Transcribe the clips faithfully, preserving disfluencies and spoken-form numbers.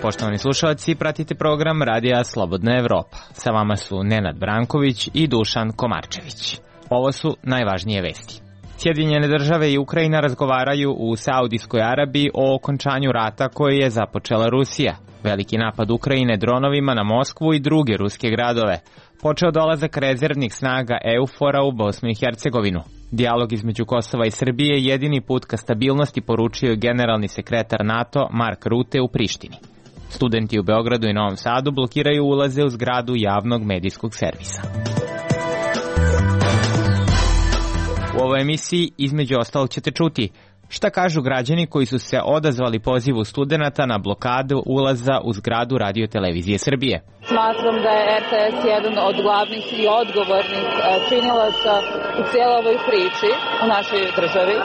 Poštovani slušalci, pratite program Radija Slobodna Evropa. Sa vama su Nenad Branković i Dušan Komarčević. Ovo su najvažnije vesti. Sjedinjene države i Ukrajina razgovaraju u Saudijskoj Arabiji o okončanju rata koji je započela Rusija. Veliki napad Ukrajine dronovima na Moskvu i druge ruske gradove. Počeo dolazak rezervnih snaga EUFOR-a u Bosnu i Hercegovinu. Dijalog između Kosova i Srbije je jedini put ka stabilnosti, poručio generalni sekretar NATO Mark Rutte u Prištini. Studenti u Beogradu i Novom Sadu blokiraju ulaze u zgradu javnog medijskog servisa. U ovoj emisiji između ostalog ćete čuti šta kažu građani koji su se odazvali pozivu studenata na blokadu ulaza u zgradu Radio-televizije Srbije. Smatram da je er te es jedan od glavnih i odgovornih činilaca u cijeloj ovoj priči u našoj državi,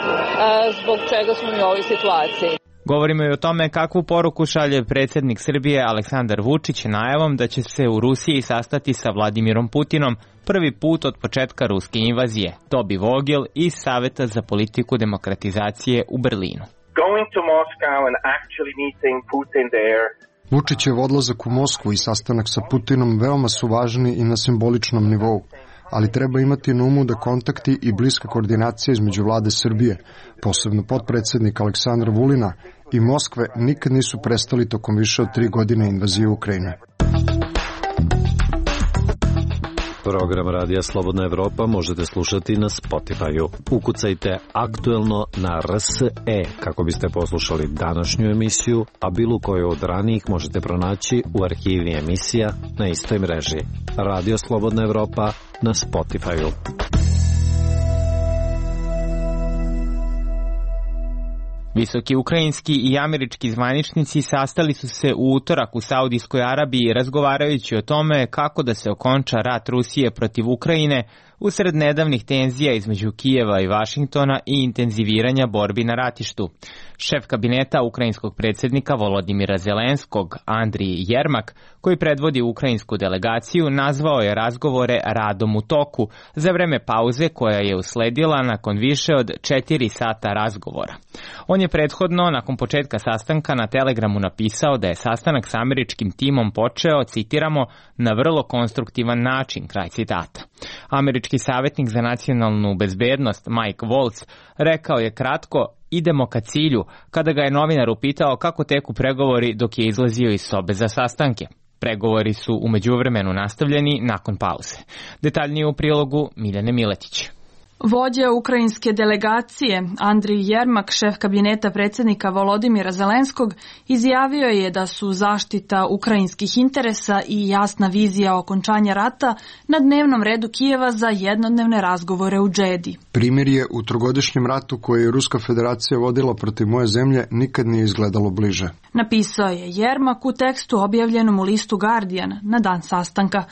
zbog čega smo mi u ovoj situaciji. Govorimo i o tome kakvu poruku šalje predsjednik Srbije Aleksandar Vučić najavom da će se u Rusiji sastati sa Vladimirom Putinom prvi put od početka ruske invazije. Tobi Vogel iz Saveta za politiku demokratizacije u Berlinu. Vučićev odlazak u Moskvu i sastanak sa Putinom veoma su važni i na simboličnom nivou, ali treba imati na umu da kontakti i bliska koordinacija između vlade Srbije, posebno potpredsjednika Aleksandra Vulina i Moskve, nikad nisu prestali tokom više od tri godine invazije Ukrajine. Program Radija Slobodna Evropa možete slušati na Spotify-u. Ukucajte aktuelno na R S E kako biste poslušali današnju emisiju, a bilo koju od ranijih možete pronaći u arhivi emisija na istoj mreži. Radio Slobodna Evropa na Spotify-u. Visoki ukrajinski i američki zvaničnici sastali su se u utorak u Saudijskoj Arabiji razgovarajući o tome kako da se okonča rat Rusije protiv Ukrajine usred nedavnih tenzija između Kijeva i Vašingtona i intenziviranja borbi na ratištu. Šef kabineta ukrajinskog predsjednika Volodimira Zelenskog, Andrij Jermak, koji predvodi ukrajinsku delegaciju, nazvao je razgovore radom u toku za vreme pauze koja je usledila nakon više od četiri sata razgovora. On je prethodno, nakon početka sastanka, na Telegramu napisao da je sastanak sa američkim timom počeo, citiramo, na vrlo konstruktivan način, kraj citata. Američki savjetnik za nacionalnu bezbednost Mike Waltz rekao je kratko: idemo ka cilju, kada ga je novinar upitao kako teku pregovori dok je izlazio iz sobe za sastanke. Pregovori su u međuvremenu nastavljeni nakon pauze. Detaljnije u prilogu Miljane Miletić. Vođa ukrajinske delegacije Andrij Jermak, šef kabineta predsjednika Volodimira Zelenskog, izjavio je da su zaštita ukrajinskih interesa i jasna vizija okončanja rata na dnevnom redu Kijeva za jednodnevne razgovore u Džedi. Primjer je u trogodišnjem ratu koje je Ruska federacija vodila protiv moje zemlje nikad nije izgledalo bliže. Napisao je Jermak u tekstu objavljenom u listu Guardian na dan sastanka.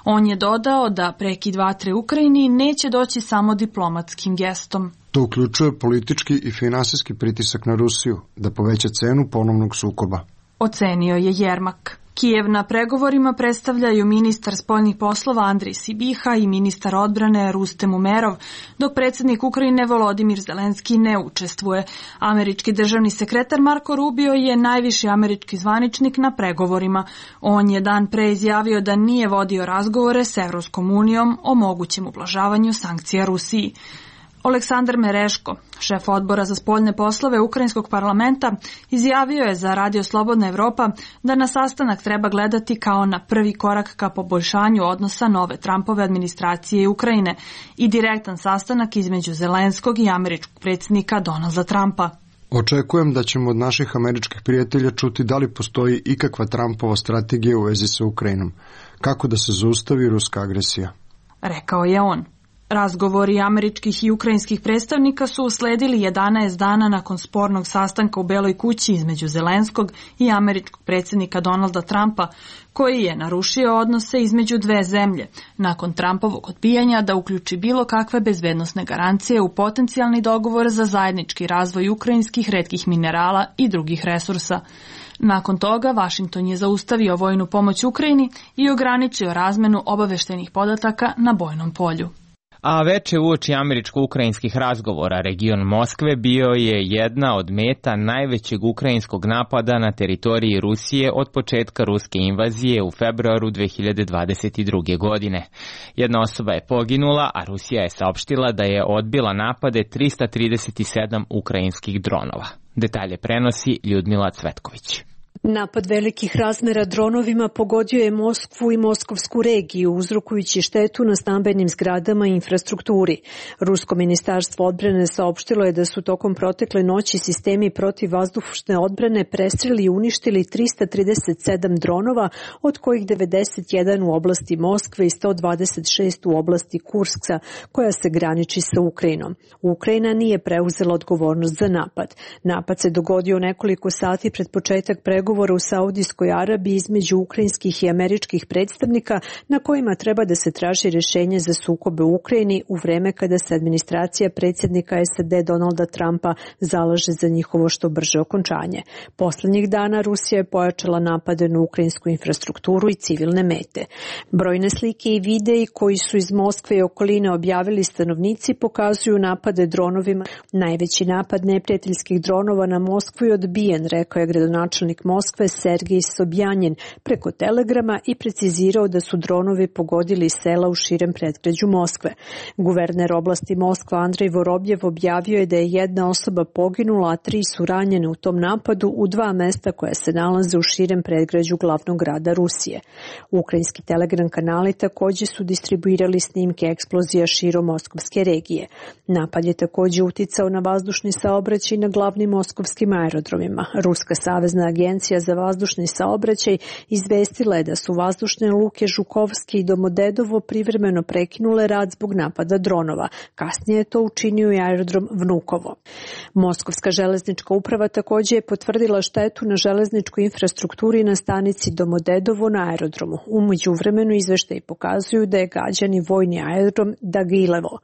On je dodao da prekid vatre Ukrajini neće doći samo diplomatskim gestom. To uključuje politički i finansijski pritisak na Rusiju da poveća cenu ponovnog sukoba. Ocenio je Jermak. Kijev na pregovorima predstavljaju ministar spoljnih poslova Andrij Sibiha i ministar odbrane Rustem Umerov, dok predsjednik Ukrajine Volodimir Zelenski ne učestvuje. Američki državni sekretar Marko Rubio je najviši američki zvaničnik na pregovorima. On je dan pre izjavio da nije vodio razgovore s Evropskom unijom o mogućem ublažavanju sankcija Rusiji. Aleksandar Mereško, šef odbora za spoljne poslove Ukrajinskog parlamenta, izjavio je za Radio Slobodna Evropa da na sastanak treba gledati kao na prvi korak ka poboljšanju odnosa nove Trumpove administracije i Ukrajine i direktan sastanak između Zelenskog i američkog predsjednika Donalda Trumpa. Očekujem da ćemo od naših američkih prijatelja čuti da li postoji ikakva Trumpova strategija u vezi sa Ukrajinom, kako da se zaustavi ruska agresija, rekao je on. Razgovori američkih i ukrajinskih predstavnika su usledili jedanaest dana nakon spornog sastanka u Beloj kući između Zelenskog i američkog predsjednika Donalda Trumpa, koji je narušio odnose između dve zemlje, nakon Trumpovog odbijanja da uključi bilo kakve bezbednosne garancije u potencijalni dogovor za zajednički razvoj ukrajinskih retkih minerala i drugih resursa. Nakon toga, Vašington je zaustavio vojnu pomoć Ukrajini i ograničio razmenu obaveštenih podataka na bojnom polju. A veče uoči američko-ukrajinskih razgovora region Moskve bio je jedna od meta najvećeg ukrajinskog napada na teritoriji Rusije od početka ruske invazije u februaru dve hiljade dvadeset druge. godine. Jedna osoba je poginula, a Rusija je saopštila da je odbila napade trista trideset sedam ukrajinskih dronova. Detalje prenosi Ljudmila Cvetković. Napad velikih razmera dronovima pogodio je Moskvu i moskovsku regiju, uzrokujući štetu na stambenim zgradama i infrastrukturi. Rusko ministarstvo odbrane saopštilo je da su tokom protekle noći sistemi protivvazdušne odbrane prestreli i uništili trista trideset sedam dronova, od kojih devedeset jedan u oblasti Moskve i sto dvadeset šest u oblasti Kurska, koja se graniči sa Ukrajinom. Ukrajina nije preuzela odgovornost za napad. Napad se dogodio nekoliko sati pred početak pregovora u Saudijskoj Arabiji između ukrajinskih i američkih predstavnika, na kojima treba da se traži rješenje za sukobe u Ukrajini u vreme kada se administracija predsjednika S A D Donalda Trumpa zalaže za njihovo što brže okončanje. Poslednjih dana Rusija je pojačala napade na ukrajinsku infrastrukturu i civilne mete. Brojne slike i videi koji su iz Moskve i okoline objavili stanovnici pokazuju napade dronovima. Najveći napad neprijateljskih dronova na Moskvu je odbijen, rekao je gradonačelnik Moskve Sergij Sobjanin preko telegrama i precizirao da su dronovi pogodili sela u širem predgrađu Moskve. Guverner oblasti Moskva Andrej Vorobjev objavio je da je jedna osoba poginula, a tri su ranjene u tom napadu u dva mesta koja se nalaze u širem predgrađu glavnog grada Rusije. Ukrajinski telegram kanali također su distribuirali snimke eksplozija širom moskovske regije. Napad je također uticao na vazdušni saobraćaj na glavnim moskovskim aerodromima. Ruska savezna agencija za vazdušni saobraćaj izvestila je da su vazdušne luke Žukovski i Domodedovo privremeno prekinule rad zbog napada dronova. Kasnije je to učinio i aerodrom Vnukovo. Moskovska železnička uprava također je potvrdila štetu na železničkoj infrastrukturi na stanici Domodedovo na aerodromu. U međuvremenu izveštaji pokazuju da je gađani vojni aerodrom Dagilevo.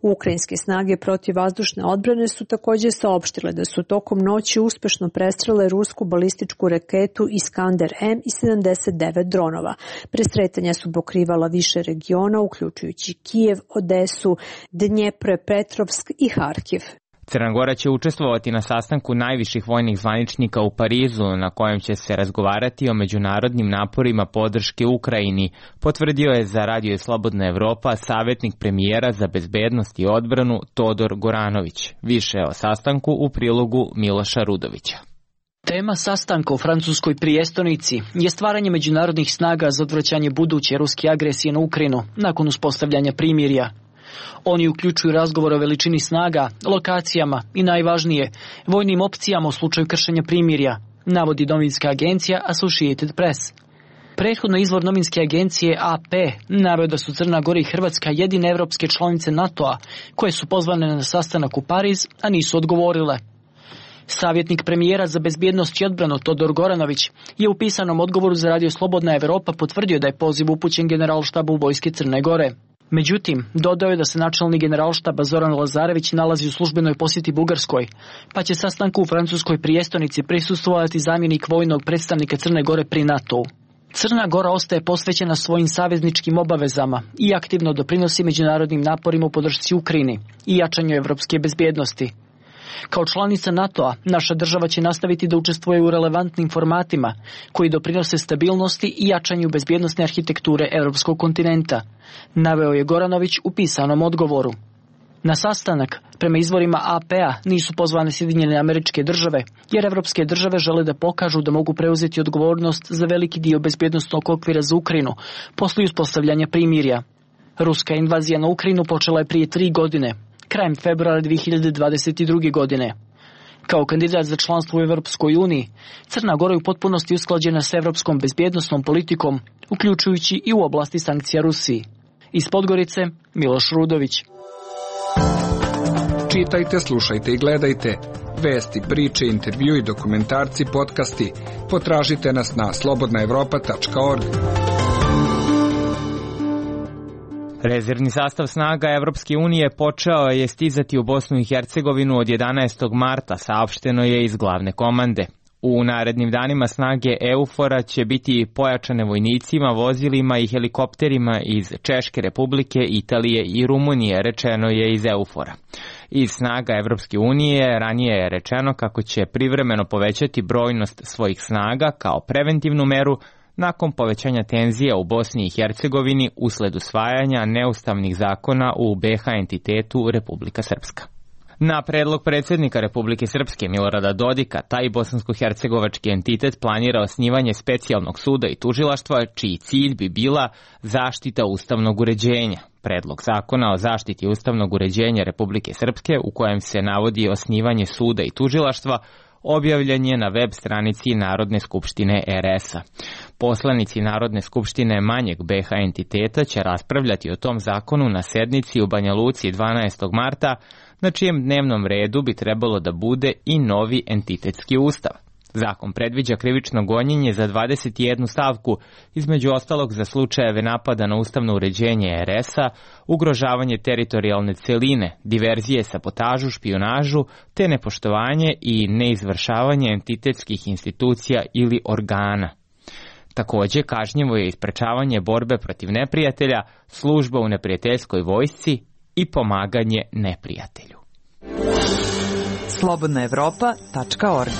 Ukrajinske snage protiv vazdušne odbrane su također saopštile da su tokom noći uspešno prestrele rusku balističku raketu Iskander M i sedamdeset devet dronova. Presretanja su pokrivala više regiona, uključujući Kijev, Odesu, Dnjepropetrovsk i Harkiv. Crna Gora će učestvovati na sastanku najviših vojnih zvaničnika u Parizu, na kojem će se razgovarati o međunarodnim naporima podrške Ukrajini, potvrdio je za Radio Slobodna Evropa savjetnik premijera za bezbednost i odbranu Todor Goranović. Više o sastanku u prilogu Miloša Rudovića. Tema sastanka u francuskoj prijestolnici je stvaranje međunarodnih snaga za odvraćanje buduće ruske agresije na Ukrajinu nakon uspostavljanja primirja. Oni uključuju razgovor o veličini snaga, lokacijama i najvažnije, vojnim opcijama u slučaju kršenja primirja, navodi novinska agencija Associated Press. Prethodno izvor novinske agencije A P naveo da su Crna Gora i Hrvatska jedine evropske članice NATO-a koje su pozvane na sastanak u Pariz, a nisu odgovorile. Savjetnik premijera za bezbjednost i odbranu Todor Goranović je u pisanom odgovoru za Radio Slobodna Evropa potvrdio da je poziv upućen generalštabu vojske Crne Gore. Međutim, dodao je da se načelnik generalštaba Zoran Lazarević nalazi u službenoj posjeti Bugarskoj, pa će sastanku u francuskoj prijestolnici prisustvovati zamjenik vojnog predstavnika Crne Gore pri NATO-u. Crna Gora ostaje posvećena svojim savezničkim obavezama i aktivno doprinosi međunarodnim naporima u podršci Ukrajini i jačanju evropske bezbjednosti. Kao članica NATO-a, naša država će nastaviti da učestvuje u relevantnim formatima koji doprinose stabilnosti i jačanju bezbjednosne arhitekture evropskog kontinenta, naveo je Goranović u pisanom odgovoru. Na sastanak, prema izvorima A P-a, nisu pozvane Sjedinjene Američke Države, jer evropske države žele da pokažu da mogu preuzeti odgovornost za veliki dio bezbjednosnog okvira za Ukrajinu posle uspostavljanja primirja. Ruska invazija na Ukrajinu počela je prije tri godine, krajem februara dve hiljade dvadeset druge. godine. Kao kandidat za članstvo u Evropskoj uniji, Crna Gora je u potpunosti usklađena sa evropskom bezbjednosnom politikom, uključujući i u oblasti sankcija Rusiji. Iz Podgorice, Miloš Rudović. Čitajte, slušajte i gledajte. Vesti, priče, intervju i dokumentarci, podcasti. Potražite nas na slobodna evropa tačka org. Rezervni sastav snaga Evropske unije počeo je stizati u Bosnu i Hercegovinu od jedanaestog marta, saopšteno je iz glavne komande. U narednim danima snage EUFOR-a će biti pojačane vojnicima, vozilima i helikopterima iz Češke Republike, Italije i Rumunije, rečeno je iz EUFOR-a. Iz snaga Evropske unije ranije je rečeno kako će privremeno povećati brojnost svojih snaga kao preventivnu meru nakon povećanja tenzija u Bosni i Hercegovini usled usvajanja neustavnih zakona u B H entitetu Republika Srpska. Na predlog predsjednika Republike Srpske Milorada Dodika, taj bosansko-hercegovački entitet planira osnivanje specijalnog suda i tužilaštva, čiji cilj bi bila zaštita ustavnog uređenja. Predlog zakona o zaštiti ustavnog uređenja Republike Srpske, u kojem se navodi osnivanje suda i tužilaštva, objavljen je na web stranici Narodne skupštine R S-a. Poslanici Narodne skupštine manjeg B H entiteta će raspravljati o tom zakonu na sednici u Banja Luci dvanaestog marta, na čijem dnevnom redu bi trebalo da bude i novi entitetski ustav. Zakon predviđa krivično gonjenje za dvadeset jednu stavku, između ostalog za slučajeve napada na ustavno uređenje R S-a, ugrožavanje teritorijalne celine, diverzije, sabotažu, špijunažu, te nepoštovanje i neizvršavanje entitetskih institucija ili organa. Takođe, kažnjivo je isprečavanje borbe protiv neprijatelja, služba u neprijateljskoj vojsci i pomaganje neprijatelju. slobodna evropa tačka org.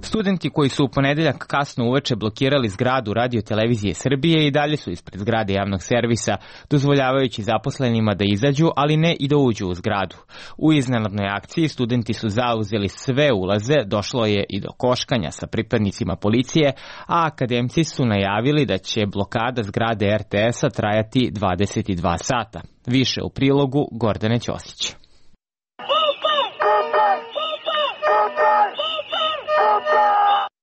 Studenti koji su u ponedeljak kasno uveče blokirali zgradu Radio-televizije Srbije i dalje su ispred zgrade javnog servisa, dozvoljavajući zaposlenima da izađu, ali ne i da uđu u zgradu. U iznenadnoj akciji studenti su zauzeli sve ulaze, došlo je i do koškanja sa pripadnicima policije, a akademci su najavili da će blokada zgrade R T S-a trajati dvadeset dva sata. Više u prilogu Gordane Ćosić.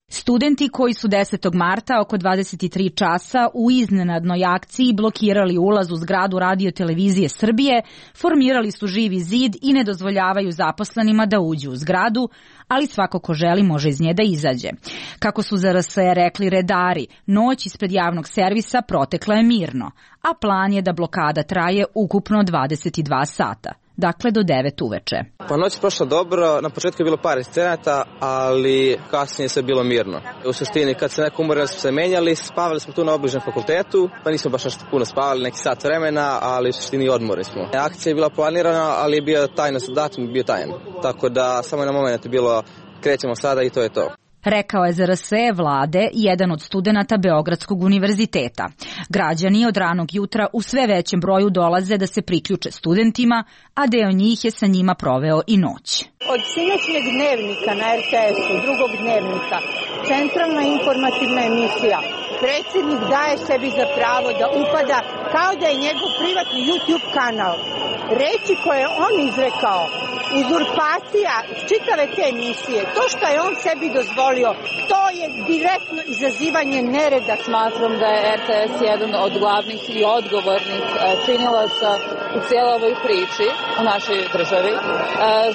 Studenti koji su desetog marta oko dvadeset tri časa u iznenadnoj akciji blokirali ulaz u zgradu Radio-televizije Srbije, formirali su živi zid i ne dozvoljavaju zaposlenima da uđu u zgradu, ali svako ko želi može iz nje da izađe. Kako su za R S E rekli redari, noć ispred javnog servisa protekla je mirno, a plan je da blokada traje ukupno dvadeset dva sata. Dakle, do devet uveče. Pa noć je prošla dobro, na početku je bilo par incidenata, ali kasnije se bilo mirno. U suštini, kad se neko umorili, smo se menjali, spavali smo tu na obližnjem fakultetu, pa nismo baš nešto puno spavali, neki sat vremena, ali u suštini odmorili smo. Akcija je bila planirana, ali je bio tajno, datum je bio tajan. Tako da samo na moment je bilo, krećemo sada i to je to. Rekao je za R S E vlade jedan od studenata Beogradskog univerziteta. Građani od ranog jutra u sve većem broju dolaze da se priključe studentima, a deo njih je sa njima proveo i noć. Od sinoćnjeg dnevnika na R T S-u, drugog dnevnika, centralna informativna emisija, predsjednik daje sebi za pravo da upada kao da je njegov privatni YouTube kanal. Reči koje je on izrekao, uzurpacija čitave te emisije, to što je on sebi dozvolio, to je direktno izazivanje nereda. Smatram da je R T S jedan od glavnih i odgovornih činilaca u cijeloj ovoj priči u našoj državi,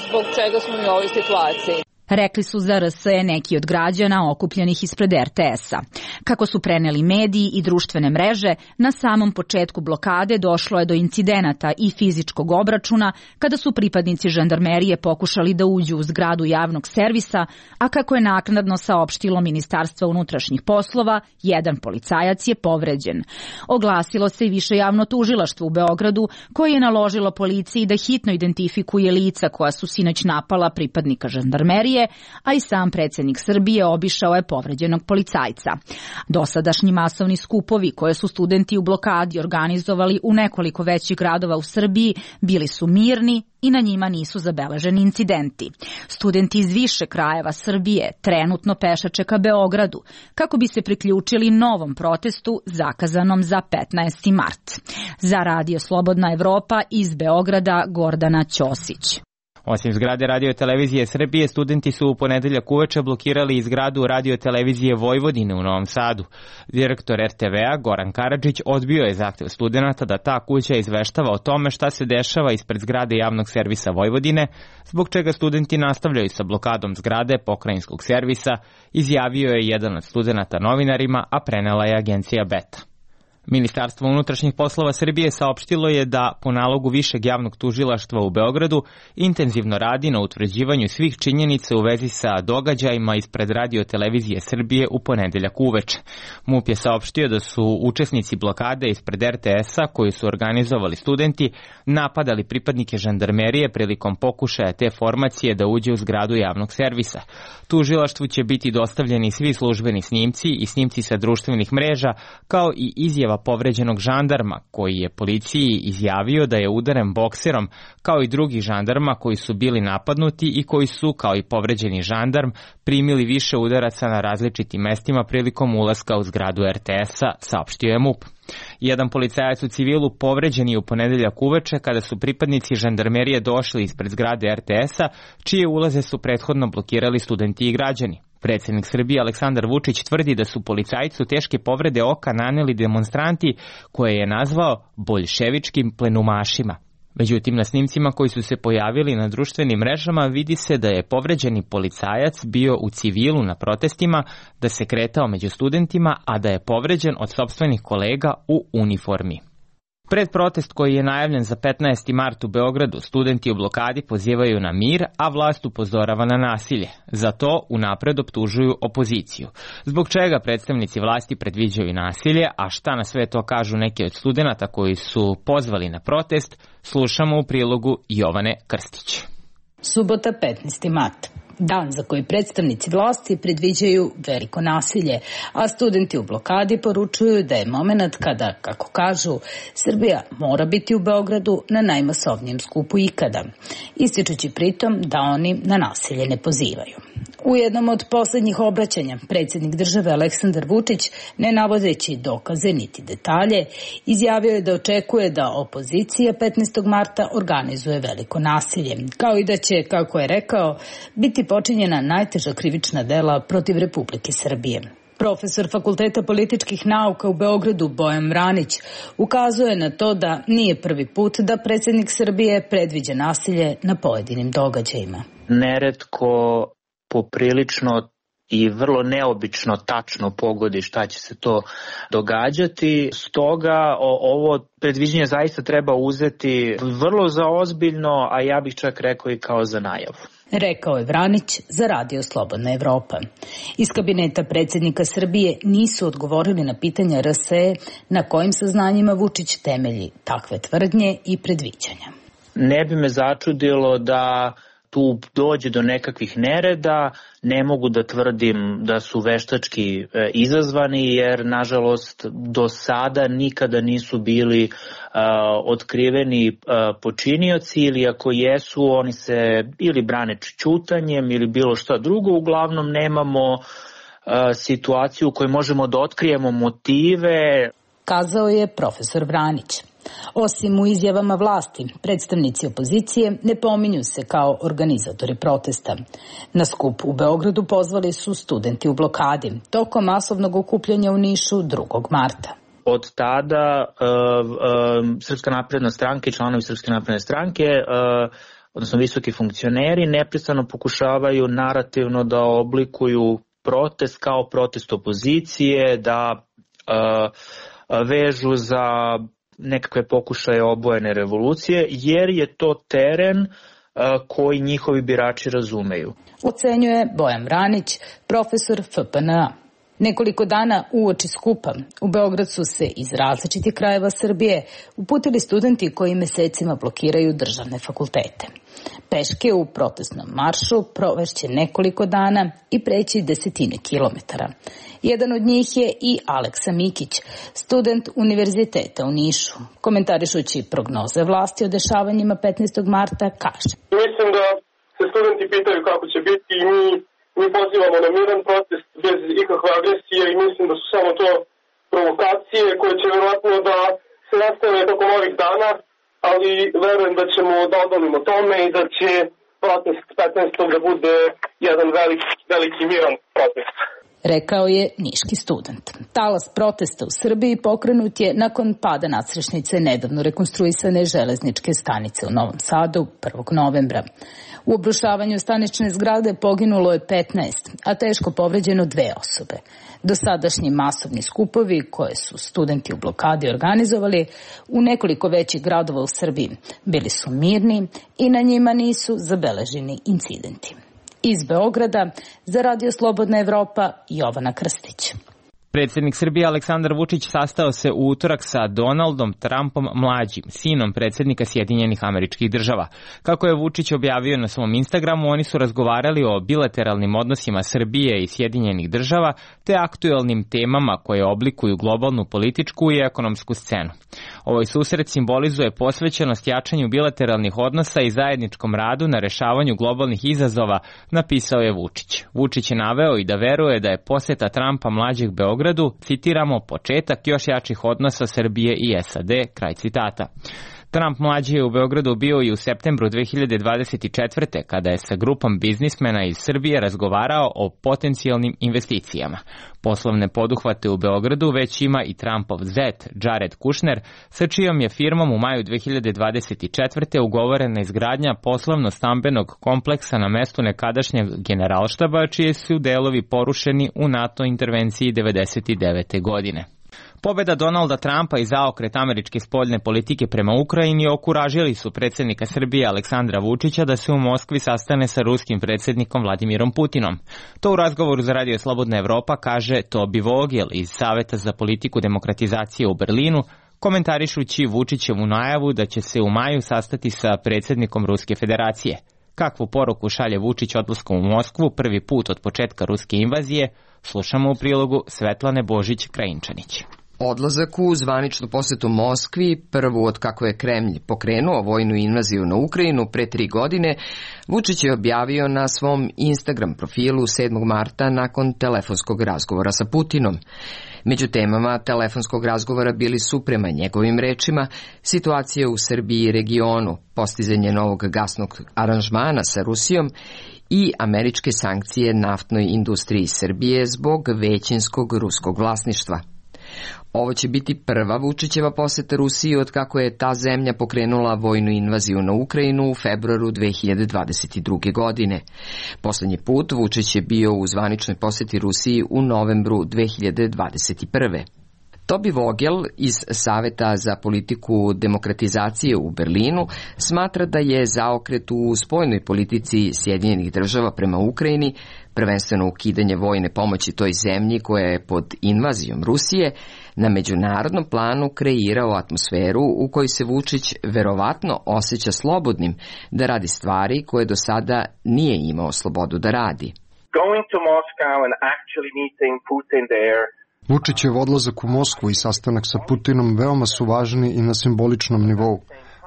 zbog čega smo mi u ovoj situaciji. Rekli su za R S E neki od građana okupljenih ispred R T S-a. Kako su preneli mediji i društvene mreže, na samom početku blokade došlo je do incidenata i fizičkog obračuna kada su pripadnici žandarmerije pokušali da uđu u zgradu javnog servisa, a kako je naknadno saopštilo Ministarstvo unutrašnjih poslova, jedan policajac je povređen. Oglasilo se i više javno tužilaštvo u Beogradu, koje je naložilo policiji da hitno identifikuje lica koja su sinoć napala pripadnika žandarmerije, a i sam predsjednik Srbije obišao je povređenog policajca. Dosadašnji masovni skupovi koje su studenti u blokadi organizovali u nekoliko većih gradova u Srbiji bili su mirni i na njima nisu zabeleženi incidenti. Studenti iz više krajeva Srbije trenutno pešače ka Beogradu kako bi se priključili novom protestu zakazanom za petnaesti mart. Za Radio Slobodna Evropa iz Beograda Gordana Ćosić. Osim zgrade Radio-televizije Srbije, studenti su u ponedeljak uveče blokirali i zgradu Radio-televizije Vojvodine u Novom Sadu. Direktor R T V-a Goran Karadžić odbio je zahtev studenta da ta kuća izveštava o tome šta se dešava ispred zgrade javnog servisa Vojvodine, zbog čega studenti nastavljaju sa blokadom zgrade pokrajinskog servisa, izjavio je jedan od studenata novinarima, a prenela je agencija Beta. Ministarstvo unutrašnjih poslova Srbije saopštilo je da po nalogu Višeg javnog tužilaštva u Beogradu intenzivno radi na utvrđivanju svih činjenica u vezi sa događajima ispred Radio televizije Srbije u ponedeljak uveče. MUP je saopštio da su učesnici blokade ispred er te es-a koju su organizovali studenti napadali pripadnike žandarmerije prilikom pokušaja te formacije da uđe u zgradu javnog servisa. Tužilaštvu će biti dostavljeni svi službeni snimci i snimci sa društvenih mreža, kao i izjava povređenog žandarma koji je policiji izjavio da je udaren bokserom, kao i drugih žandarma koji su bili napadnuti i koji su, kao i povređeni žandarm, primili više udaraca na različitim mestima prilikom ulaska u zgradu er te es-a, saopštio je MUP. Jedan policajac u civilu povređen je u ponedeljak uveče kada su pripadnici žandarmerije došli ispred zgrade er te es-a, čije ulaze su prethodno blokirali studenti i građani. Predsjednik Srbije Aleksandar Vučić tvrdi da su policajcu teške povrede oka naneli demonstranti koje je nazvao boljševičkim plenumašima. Međutim, na snimcima koji su se pojavili na društvenim mrežama vidi se da je povređeni policajac bio u civilu na protestima, da se kretao među studentima, a da je povređen od sopstvenih kolega u uniformi. Pred protest koji je najavljen za petnaesti mart u Beogradu, studenti u blokadi pozivaju na mir, a vlast upozorava na nasilje. Za to unapred optužuju opoziciju. Zbog čega predstavnici vlasti predviđaju nasilje, a šta na sve to kažu neki od studenata koji su pozvali na protest, slušamo u prilogu Jovane Krstić. Subota petnaesti mart. Dan za koji predstavnici vlasti predviđaju veliko nasilje, a studenti u blokadi poručuju da je moment kada, kako kažu, Srbija mora biti u Beogradu na najmasovnijem skupu ikada, ističući pritom da oni na nasilje ne pozivaju. U jednom od poslednjih obraćanja predsjednik države Aleksandar Vučić, ne navodeći dokaze niti detalje, izjavio je da očekuje da opozicija petnaestog marta organizuje veliko nasilje, kao i da će, kako je rekao, biti počinjena najteža krivična dela protiv Republike Srbije. Profesor Fakulteta političkih nauka u Beogradu Bojan Vranić ukazuje na to da nije prvi put da predsjednik Srbije predviđa nasilje na pojedinim događajima. Neretko poprilično i vrlo neobično tačno pogodi šta će se to događati. Stoga ovo predviđenje zaista treba uzeti vrlo za ozbiljno, a ja bih čak rekao i kao za najavu. Rekao je Vranić za Radio Slobodna Evropa. Iz kabineta predsjednika Srbije nisu odgovorili na pitanja er es e na kojim saznanjima Vučić temelji takve tvrdnje i predviđanja. Ne bi me začudilo da tu dođe do nekakvih nereda, ne mogu da tvrdim da su veštački e, izazvani, jer nažalost do sada nikada nisu bili e, otkriveni e, počinioci, ili ako jesu, oni se ili brane ćutanjem ili bilo šta drugo. Uglavnom nemamo e, situaciju u kojoj možemo da otkrijemo motive. Kazao je profesor Vranić. Osim u izjavama vlasti, predstavnici opozicije ne pominju se kao organizatori protesta. Na skup u Beogradu pozvali su studenti u blokadi tokom masovnog okupljanja u Nišu drugog marta. Od tada uh, uh, Srpska napredna stranka i članovi Srpske napredne stranke, uh, odnosno visoki funkcioneri, neprestano pokušavaju narativno da oblikuju protest kao protest opozicije, da uh, vežu za nekakve pokušaje obojene revolucije, jer je to teren uh, koji njihovi birači razumeju. Ocenjuje Bojan Vranić, profesor F P N A. Nekoliko dana uoči skupa u Beograd su se iz različitih krajeva Srbije uputili studenti koji mesecima blokiraju državne fakultete. Peške u protestnom maršu provešće nekoliko dana i preći desetine kilometara. Jedan od njih je i Aleksa Mikić, student univerziteta u Nišu. Komentarišući prognoze vlasti o dešavanjima petnaestog marta kaže: Mislim da se studenti pitaju kako će biti i mi, mi pozivamo na miran protest bez ikakve agresije i mislim da su samo to provokacije koje će vjerojatno da se nastave tokom ovih dana, ali verujem da ćemo da odolimo tome i da će protest petnaestog da bude jedan veliki, veliki miran protest. rekao je niški student. Talas protesta u Srbiji pokrenut je nakon pada nadstrešnice nedavno rekonstruisane železničke stanice u Novom Sadu prvog novembra. U obrušavanju stanične zgrade poginulo je petnaest, a teško povređeno dve osobe. Dosadašnji masovni skupovi koje su studenti u blokadi organizovali u nekoliko većih gradova u Srbiji bili su mirni i na njima nisu zabeleženi incidenti. Iz Beograda za Radio Slobodna Evropa, Jovana Krstić. Predsjednik Srbije Aleksandar Vučić sastao se u utorak sa Donaldom Trumpom mlađim, sinom predsjednika Sjedinjenih Američkih Država. Kako je Vučić objavio na svom Instagramu, oni su razgovarali o bilateralnim odnosima Srbije i Sjedinjenih Država te aktuelnim temama koje oblikuju globalnu političku i ekonomsku scenu. Ovaj susret simbolizuje posvećenost jačanju bilateralnih odnosa i zajedničkom radu na rešavanju globalnih izazova, napisao je Vučić. Vučić je naveo i da veruje da je poseta Trumpa mlađeg Beogradu, citiramo, početak još jačih odnosa Srbije i S A D, kraj citata. Trump mlađi je u Beogradu bio i u septembru dve hiljade dvadeset četvrte. kada je sa grupom biznismena iz Srbije razgovarao o potencijalnim investicijama. Poslovne poduhvate u Beogradu već ima i Trumpov zet Jared Kushner, sa čijom je firmom u maju dve hiljade dvadeset četvrte. ugovorena izgradnja poslovno-stambenog kompleksa na mestu nekadašnjeg generalštaba, čije su delovi porušeni u NATO intervenciji devedeset devete. godine. Pobjeda Donalda Trumpa i zaokret američke spoljne politike prema Ukrajini okuražili su predsjednika Srbije Aleksandra Vučića da se u Moskvi sastane sa ruskim predsjednikom Vladimirom Putinom. To u razgovoru za Radio Slobodna Evropa kaže Tobi Vogel iz Saveta za politiku demokratizacije u Berlinu, komentarišući Vučićevu najavu da će se u maju sastati sa predsjednikom Ruske federacije. Kakvu poruku šalje Vučić odlaskom u Moskvu prvi put od početka ruske invazije, slušamo u prilogu Svetlane Božić-Krajinčanić. Odlazak u zvaničnu posetu Moskvi, prvu od kako je Kremlj pokrenuo vojnu invaziju na Ukrajinu pre tri godine, Vučić je objavio na svom Instagram profilu sedmog marta nakon telefonskog razgovora sa Putinom. Među temama telefonskog razgovora bili su, prema njegovim rečima, situacija u Srbiji i regionu, postizanje novog gasnog aranžmana sa Rusijom i američke sankcije naftnoj industriji Srbije zbog većinskog ruskog vlasništva. Ovo će biti prva Vučićeva poseta Rusiji od kako je ta zemlja pokrenula vojnu invaziju na Ukrajinu u februaru dve hiljade dvadeset druge. godine. Poslednji put Vučić je bio u zvaničnoj poseti Rusiji u novembru dve hiljade dvadeset prve. Tobi Vogel iz Saveta za politiku demokratizacije u Berlinu smatra da je zaokret u spoljnoj politici Sjedinjenih Država prema Ukrajini, prvenstveno ukidanje vojne pomoći toj zemlji koja je pod invazijom Rusije, na međunarodnom planu kreirao atmosferu u kojoj se Vučić verovatno osjeća slobodnim da radi stvari koje do sada nije imao slobodu da radi. Going to Moscow and actually meeting Putin there. Vučićev odlazak u Moskvu i sastanak sa Putinom veoma su važni i na simboličnom nivou,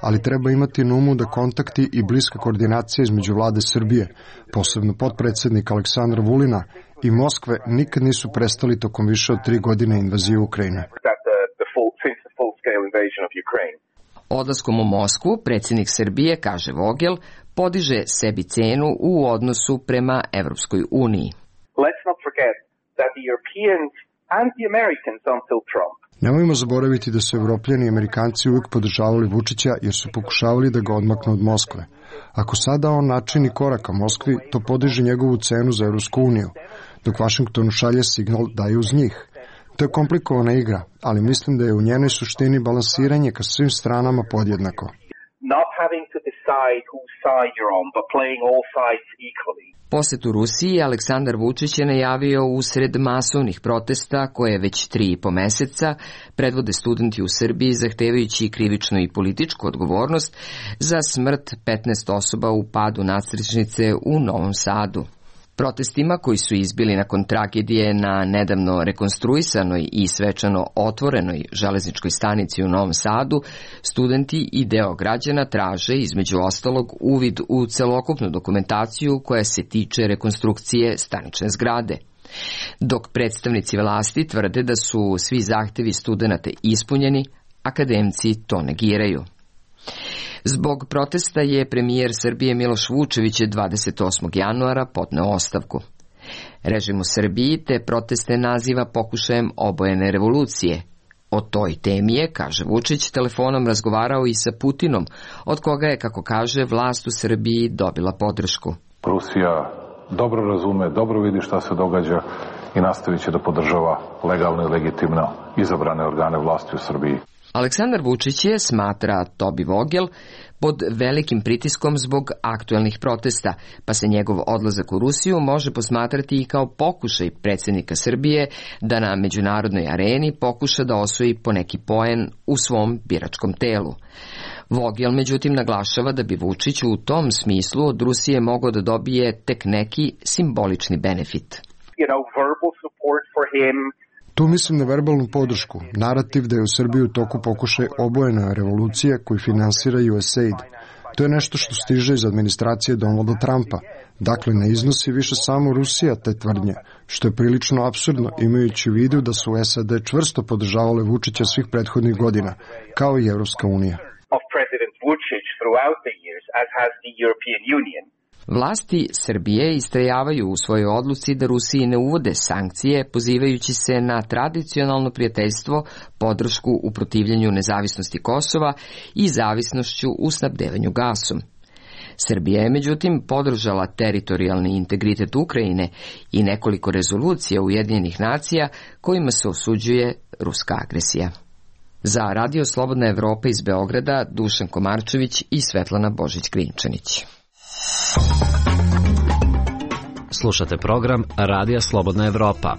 ali treba imati na umu da kontakti i bliska koordinacija između vlade Srbije, posebno potpredsjednika Aleksandra Vulina i Moskve, nikad nisu prestali tokom više od tri godine invazije Ukrajine. Odlaskom u Moskvu, predsjednik Srbije, kaže Vogel, podiže sebi cenu u odnosu prema Evropskoj uniji. Let's not forget that the Europeans and the Americans until Trump. Nemojmo zaboraviti da su Evropljani i Amerikanci uvijek podržavali Vučića jer su pokušavali da ga odmaknu od Moskve. Ako sada on načini korak ka Moskvi, to podiže njegovu cenu za Evropsku uniju, dok Vašingtonu šalje signal da je uz njih. To je komplikovana igra, ali mislim da je u njenoj suštini balansiranje ka svim stranama podjednako. Not having to decide whose side you're on, but playing all sides equally. Posetu Rusiji Aleksandar Vučić je najavio usred masovnih protesta koje već tri i po meseca predvode studenti u Srbiji zahtevajući krivičnu i političku odgovornost za smrt petnaest osoba u padu nadstrešnice u Novom Sadu. Protestima koji su izbili nakon tragedije na nedavno rekonstruisanoj i svečano otvorenoj železničkoj stanici u Novom Sadu, studenti i deo građana traže, između ostalog, uvid u celokupnu dokumentaciju koja se tiče rekonstrukcije stanične zgrade. Dok predstavnici vlasti tvrde da su svi zahtevi studenata ispunjeni, akademci to negiraju. Zbog protesta je premijer Srbije Miloš Vučević dvadeset osmog januara podneo ostavku. Režim u Srbiji te proteste naziva pokušajem obojene revolucije. O toj temi je, kaže Vučić, telefonom razgovarao i sa Putinom, od koga je, kako kaže, vlast u Srbiji dobila podršku. Rusija dobro razume, dobro vidi šta se događa i nastavit će da podržava legalno i legitimno izabrane organe vlasti u Srbiji. Aleksandar Vučić je, smatra Tobi Vogel, pod velikim pritiskom zbog aktuelnih protesta, pa se njegov odlazak u Rusiju može posmatrati i kao pokušaj predsjednika Srbije da na međunarodnoj areni pokuša da osvoji poneki poen u svom biračkom telu. Vogel, međutim, naglašava da bi Vučić u tom smislu od Rusije mogao da dobije tek neki simbolični benefit. You know, verbal support for him. Tu mislim na verbalnu podršku, narativ da je u Srbiji u toku pokušaj obojena revolucija koju finansira U S A I D. To je nešto što stiže iz administracije Donalda Trumpa. Dakle, ne iznosi više samo Rusija te tvrdnje, što je prilično apsurdno imajući u vidu da su S A D čvrsto podržavale Vučića svih prethodnih godina, kao i Evropska unija. Vlasti Srbije istrajavaju u svojoj odluci da Rusiji ne uvode sankcije, pozivajući se na tradicionalno prijateljstvo, podršku u protivljenju nezavisnosti Kosova i zavisnošću u snabdevanju gasom. Srbija je međutim podržala teritorijalni integritet Ukrajine i nekoliko rezolucija Ujedinjenih nacija kojima se osuđuje ruska agresija. Za Radio Slobodna Evropa iz Beograda, Dušan Komarčević i Svetlana Božić-Grinčanić. Slušate program Radija Slobodna Evropa.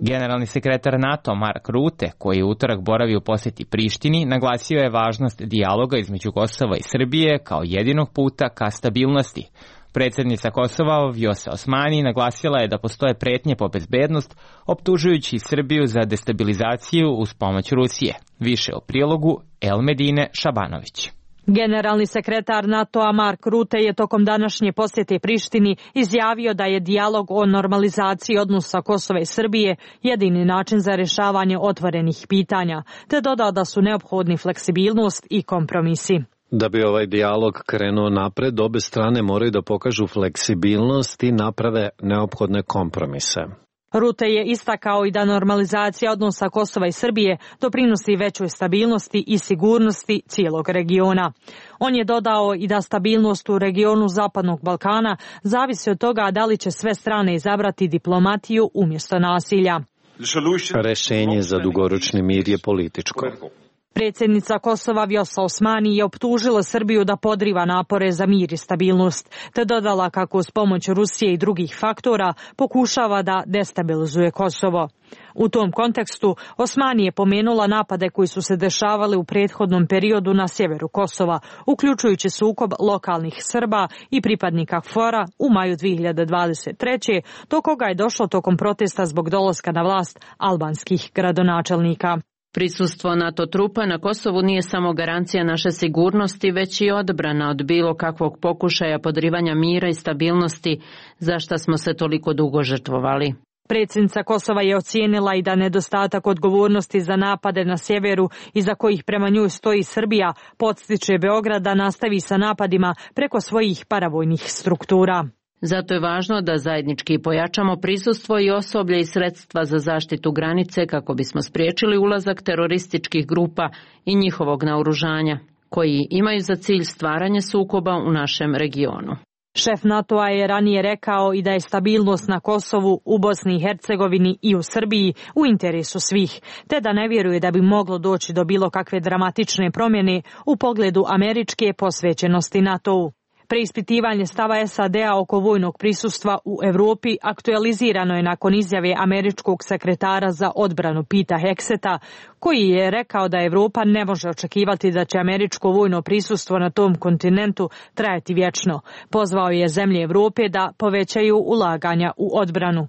Generalni sekretar NATO Mark Rutte, koji je utorak boravi u posjeti Prištini, naglasio je važnost dijaloga između Kosova i Srbije kao jedinog puta ka stabilnosti. Predsjednica Kosova Vjosa Osmani naglasila je da postoje pretnje po bezbednost, optužujući Srbiju za destabilizaciju uz pomoć Rusije. Više o prilogu Elmedine Šabanović. Generalni sekretar NATO-a Mark Rutte je tokom današnje posjete Prištini izjavio da je dijalog o normalizaciji odnosa Kosova i Srbije jedini način za rješavanje otvorenih pitanja, te dodao da su neophodni fleksibilnost i kompromisi. Da bi ovaj dijalog krenuo napred, obe strane moraju da pokažu fleksibilnost i naprave neophodne kompromise. Rutte je istakao i da normalizacija odnosa Kosova i Srbije doprinosi većoj stabilnosti i sigurnosti cijelog regiona. On je dodao i da stabilnost u regionu Zapadnog Balkana zavisi od toga da li će sve strane izabrati diplomatiju umjesto nasilja. Rešenje za dugoročni mir je političko. Predsjednica Kosova Vjosa Osmani je optužila Srbiju da podriva napore za mir i stabilnost, te dodala kako uz pomoć Rusije i drugih faktora pokušava da destabilizuje Kosovo. U tom kontekstu Osmani je pomenula napade koji su se dešavali u prethodnom periodu na sjeveru Kosova, uključujući sukob lokalnih Srba i pripadnika K F O R-a u maju dvije hiljade dvadeset treće. do koga je došlo tokom protesta zbog dolaska na vlast albanskih gradonačelnika. Prisustvo NATO trupa na Kosovu nije samo garancija naše sigurnosti, već i odbrana od bilo kakvog pokušaja podrivanja mira i stabilnosti, za šta smo se toliko dugo žrtvovali. Predsjednica Kosova je ocijenila i da nedostatak odgovornosti za napade na sjeveru, iza kojih prema njoj stoji Srbija, podstiče Beograd da nastavi sa napadima preko svojih paravojnih struktura. Zato je važno da zajednički pojačamo prisustvo i osoblje i sredstva za zaštitu granice kako bismo spriječili ulazak terorističkih grupa i njihovog naoružanja, koji imaju za cilj stvaranje sukoba u našem regionu. Šef NATO-a je ranije rekao i da je stabilnost na Kosovu, u Bosni i Hercegovini i u Srbiji u interesu svih, te da ne vjeruje da bi moglo doći do bilo kakve dramatične promjene u pogledu američke posvećenosti NATO-u. Preispitivanje stava S A D-a oko vojnog prisustva u Europi aktualizirano je nakon izjave američkog sekretara za odbranu Pita Hegseta, koji je rekao da Europa ne može očekivati da će američko vojno prisustvo na tom kontinentu trajati vječno. Pozvao je zemlje Europe da povećaju ulaganja u odbranu.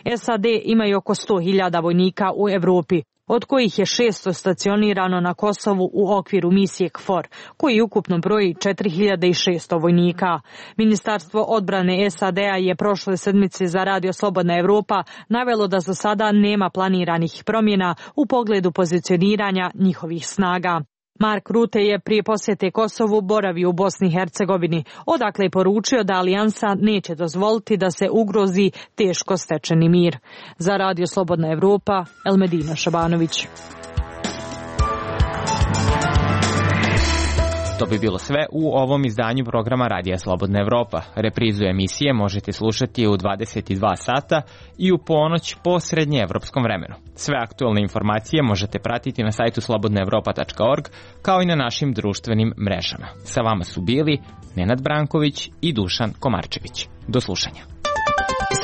S A D imaju oko sto hiljada vojnika u Europi, od kojih je šesto stacionirano na Kosovu u okviru misije K F O R, koji ukupno broji četiri hiljade šesto vojnika. Ministarstvo odbrane S A D-a je prošle sedmice za Radio Slobodna Evropa navelo da za sada nema planiranih promjena u pogledu pozicioniranja njihovih snaga. Mark Rutte je prije posjete Kosovu boravio u Bosni i Hercegovini, odakle je poručio da alijansa neće dozvoliti da se ugrozi teško stečeni mir. Za Radio Slobodna Evropa, Elmedina Šabanović. To bi bilo sve u ovom izdanju programa Radija Slobodna Evropa. Reprizu emisije možete slušati u dvadeset dva sata i u ponoć po srednjeevropskom vremenu. Sve aktualne informacije možete pratiti na sajtu slobodna evropa tačka org kao i na našim društvenim mrežama. Sa vama su bili Nenad Branković i Dušan Komarčević. Do slušanja.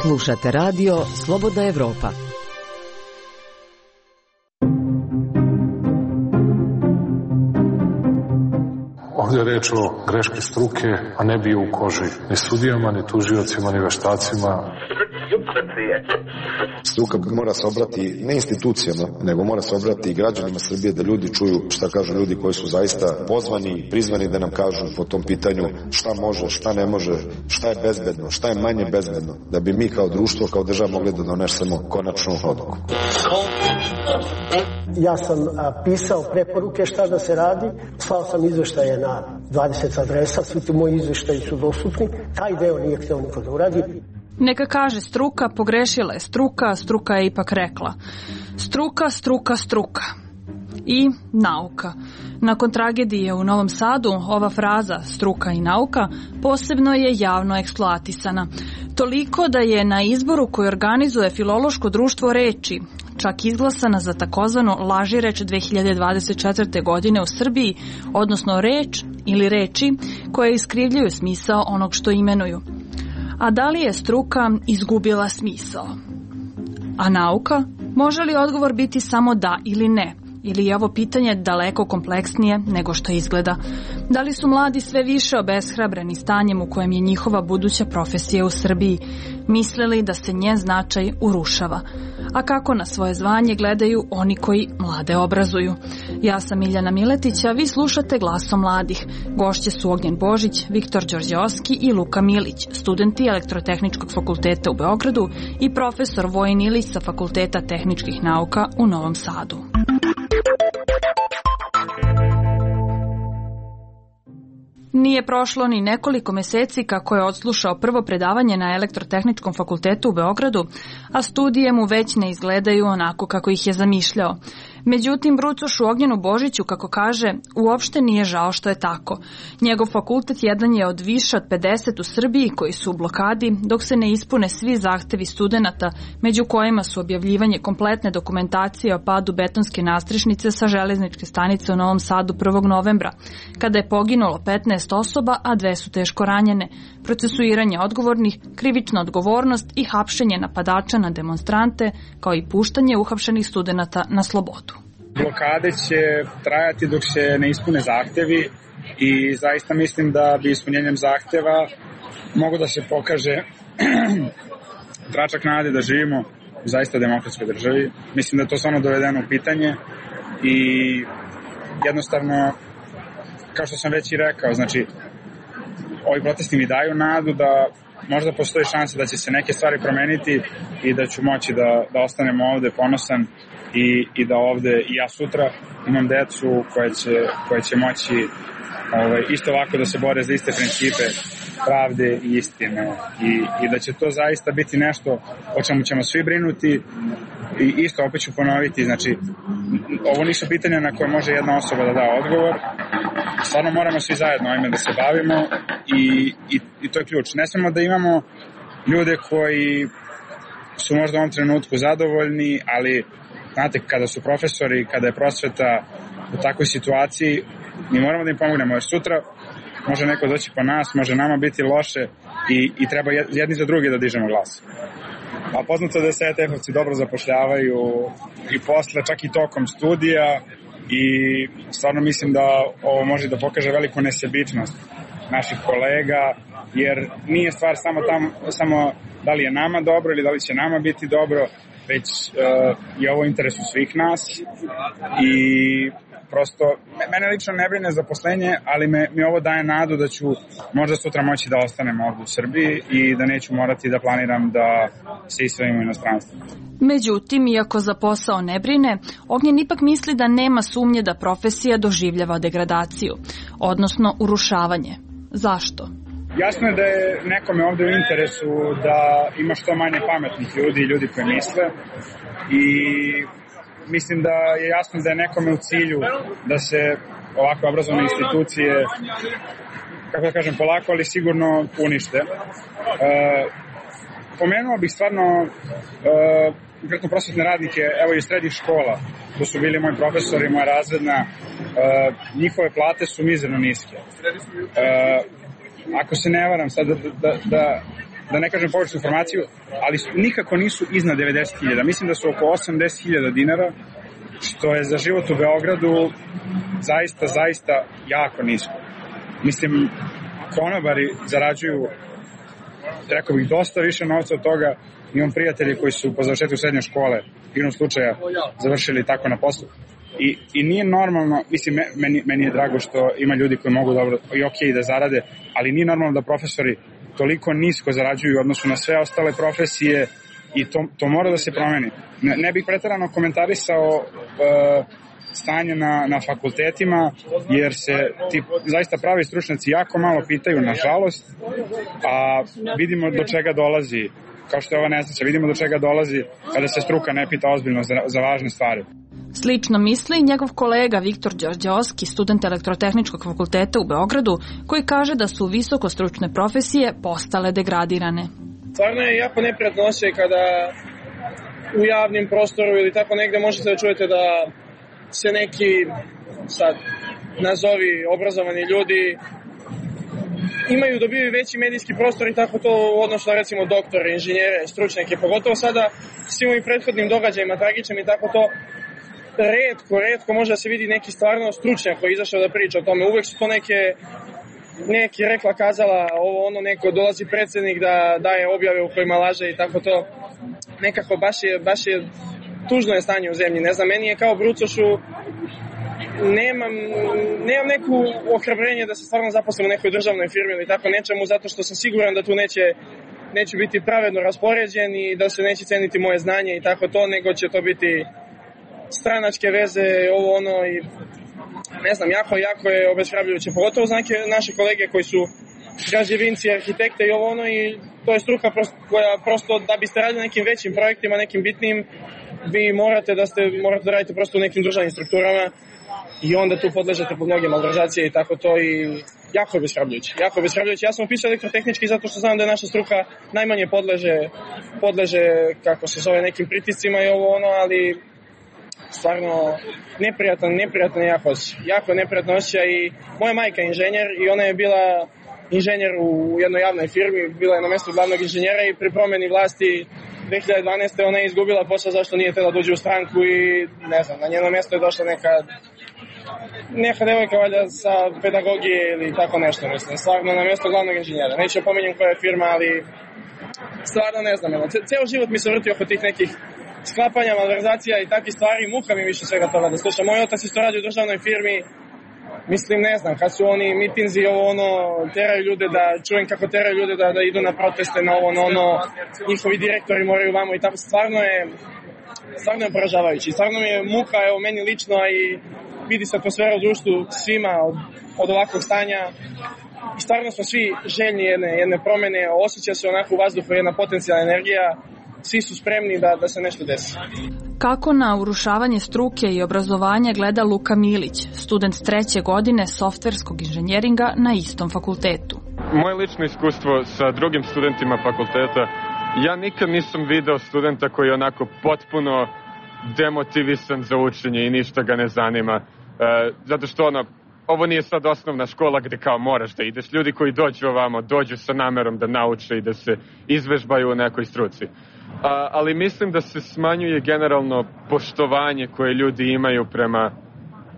Slušate radio Slobodna Evropa. Ovdje je reč o greški struke, a ne bio u koži ni sudijama, ni tužiocima, ni veštacima. Struka mora se obrati ne institucijama, nego mora se obrati i građanima Srbije, da ljudi čuju šta kažu ljudi koji su zaista pozvani, prizvani da nam kažu po tom pitanju šta može, šta ne može, šta je bezbedno, šta je manje bezbedno, da bi mi kao društvo, kao država mogli da donesemo konačnu odluku. Ja sam a, pisao preporuke šta da se radi, slao sam izveštaje na dvadeset adresa, svi ti moji izveštaji su dostupni, taj deo nije htio niko da uradi. Neka kaže struka, pogrešila je struka, struka je ipak rekla. Struka, struka, struka. I nauka. Nakon tragedije u Novom Sadu, ova fraza struka i nauka posebno je javno eksploatisana. Toliko da je na izboru koji organizuje Filološko društvo reči čak izglasana za takozvanu laži reč dve hiljade dvadeset četvrte. godine u Srbiji, odnosno reč ili reči koje iskrivljuju smisao onog što imenuju. A da li je struka izgubila smisao? A nauka? Može li odgovor biti samo da ili ne? Ili je ovo pitanje daleko kompleksnije nego što izgleda? Da li su mladi sve više obeshrabreni stanjem u kojem je njihova buduća profesija u Srbiji, mislili da se njen značaj urušava? A kako na svoje zvanje gledaju oni koji mlade obrazuju? Ja sam Miljana Miletić, a vi slušate Glasom mladih. Gošće su Ognjen Božić, Viktor Đorđeovski i Luka Milić, studenti Elektrotehničkog fakulteta u Beogradu i profesor Vojin Ilić sa Fakulteta tehničkih nauka u Novom Sadu. Nije prošlo ni nekoliko meseci kako je odslušao prvo predavanje na Elektrotehničkom fakultetu u Beogradu, a studije mu već ne izgledaju onako kako ih je zamišljao. Međutim, Brucošu Ognjenu Božiću, kako kaže, uopšte nije žao što je tako. Njegov fakultet jedan je od više od pedeset u Srbiji koji su u blokadi, dok se ne ispune svi zahtevi studenata, među kojima su objavljivanje kompletne dokumentacije o padu betonske nastrešnice sa železničke stanice u Novom Sadu prvog novembra, kada je poginulo petnaest osoba, a dve su teško ranjene, procesuiranje odgovornih, krivična odgovornost i hapšenje napadača na demonstrante, kao i puštanje uhapšenih studenata na slobodu. Blokade će trajati dok se ne ispune zahtevi i zaista mislim da bi ispunjenjem zahteva mogu da se pokaže tračak nade da živimo u zaista demokratskoj državi. Mislim da je to stvarno dovedeno u pitanje i jednostavno, kao što sam već i rekao, znači ovi protesti mi daju nadu da možda postoji šansa da će se neke stvari promeniti i da ću moći da, da ostanem ovde ponosan i, i da ovde i ja sutra imam decu koje će, koje će moći ovaj, isto ovako da se bore za iste principe pravde i istine i, i da će to zaista biti nešto o čemu ćemo svi brinuti i isto opet ću ponoviti, znači ovo nisu pitanja na koje može jedna osoba da da odgovor, stvarno moramo svi zajedno ovime da se bavimo i, i, i to je ključ. Ne smemo da imamo ljude koji su možda u ovom trenutku zadovoljni, ali znate, kada su profesori, kada je prosveta u takvoj situaciji, mi moramo da im pomognemo, jer sutra može neko doći po nas, može nama biti loše i, i treba jedni za drugi da dižemo glas. A poznato da se E T F-ovci dobro zapošljavaju i posle, čak i tokom studija i stvarno mislim da ovo može da pokaže veliku nesebičnost naših kolega, jer nije stvar samo, tam, samo da li je nama dobro ili da li će nama biti dobro, već uh, je ovo u interesu svih nas i prosto, mene lično ne brine zaposlenje, ali me, mi ovo daje nadu da ću možda sutra moći da ostanem ovdje u Srbiji i da neću morati da planiram da se iselim u inostranstvo. Međutim, iako za posao ne brine, Ognjen ipak misli da nema sumnje da profesija doživljava degradaciju, odnosno urušavanje. Zašto? Jasno je da je nekome ovdje u interesu da ima što manje pametnih ljudi i ljudi koji misle i mislim da je jasno da je nekome u cilju da se ovakve obrazovne institucije, kako da kažem, polako, ali sigurno unište. E, pomenuo bih stvarno e, konkretno prosvetne radnike, evo i srednjih škola, to su bili moji profesori, moja razredna, e, njihove plate su mizerno niske. E, ako se ne varam sad da, da, da, da ne kažem pogrešnu informaciju, ali su, nikako nisu iznad devedeset hiljada. Mislim da su oko osamdeset hiljada dinara, što je za život u Beogradu zaista, zaista jako nisko. Mislim, konobari zarađuju, rekao bih, dosta više novca od toga. Imam prijatelji koji su po završetku srednje škole, igrom slučaja, završili tako na poslu. I, i nije normalno, mislim, meni, meni je drago što ima ljudi koji mogu dobro i okej da zarade, ali nije normalno da profesori toliko nisko zarađuju u odnosu na sve ostale profesije i to, to mora da se promeni. Ne, ne bih preterano komentarisao uh, stanje na, na fakultetima, jer se ti zaista pravi stručnjaci jako malo pitaju, nažalost, a vidimo do čega dolazi, kao što je ova nesreća, vidimo do čega dolazi kada se struka ne pita ozbiljno za, za važne stvari. Slično misli njegov kolega Viktor Đorđeovski, student Elektrotehničkog fakulteta u Beogradu, koji kaže da su visokostručne profesije postale degradirane. Stvarno je jako neprijatno osjećaj kada u javnim prostoru ili tako negde možete da čujete da se neki, sad, nazovi obrazovani ljudi imaju, dobiju veći medijski prostor i tako to u odnosu na recimo doktore, inženjere, stručnjake, pogotovo sada svim ovim prethodnim događajima, tragičnim i tako to. Retko, retko može da se vidi neki stvarno stručnjak koji je izašao da priča o tome. Uvek su to neke, neki rekla kazala, ovo ono, neko dolazi predsjednik da daje objave u kojima laže i tako to. Nekako baš je, baš je tužno je stanje u zemlji. Ne znam, meni je kao brucošu, nemam, nemam neku ohrabrenje da se stvarno zaposlim u nekoj državnoj firmi ili tako nečemu, zato što sam siguran da tu neće, neće biti pravedno raspoređen i da se neće ceniti moje znanje i tako to, nego će to biti stranačke veze, ovo ono i ne znam, jako, jako je obeshrabrujuće, pogotovo za neke naše kolege koji su građevinci, arhitekte i ovo ono i to je struka prosto, koja prosto da biste radili nekim većim projektima, nekim bitnim, vi morate da ste, morate da radite prosto u nekim državnim strukturama i onda tu podležete pod mnoge malverzacije i tako to i jako je obeshrabrujuće, jako je obeshrabrujuće. Ja sam upisao elektrotehnički zato što znam da je naša struka najmanje podleže, podleže kako se zove, nekim pritiscima i ovo ono, ali stvarno neprijatan, neprijatan je jako osjećaj. Jako je neprijatan osjećaj i moja majka je inženjer i ona je bila inženjer u jednoj javnoj firmi, bila je na mjestu glavnog inženjera i pri promjeni vlasti dve hiljade dvanaeste. ona je izgubila posao zašto nije htjela dođe u stranku i ne znam, na njeno mjesto je došla neka neka devojka valjda sa pedagogije ili tako nešto, mislim, stvarno na mjesto glavnog inženjera. Neću pomenjem koja je firma, ali stvarno ne znam, evo, ceo život mi se vrti oko tih nekih sklapanja, malverzacija i takvih stvari, muka mi više svega toga da slušam. Moj otac isto radi u državnoj firmi, mislim, ne znam, kad su oni mitinzi, ovo ono, teraju ljude da, čujem kako teraju ljude da, da idu na proteste, na ovo, ono, ono, njihovi direktori moraju vamo i tako, stvarno je, stvarno je poražavajući. Stvarno mi je muka, evo, meni lično, a i vidi se atmosfera u društvu svima od, od ovakvog stanja. I stvarno smo svi željni jedne, jedne promjene, osjeća se onako u vazduhu jedna potencijalna energija, svi su spremni da, da se nešto desi. Kako na urušavanje struke i obrazovanja gleda Luka Milić, student treće godine softverskog inženjeringa na istom fakultetu? Moje lično iskustvo sa drugim studentima fakulteta, ja nikad nisam video studenta koji je onako potpuno demotivisan za učenje i ništa ga ne zanima. E, zato što ono, ovo nije sad osnovna škola gde kao moraš da ideš. Ljudi koji dođu ovamo, dođu sa namerom da nauče i da se izvežbaju u nekoj struci. A, ali mislim da se smanjuje generalno poštovanje koje ljudi imaju prema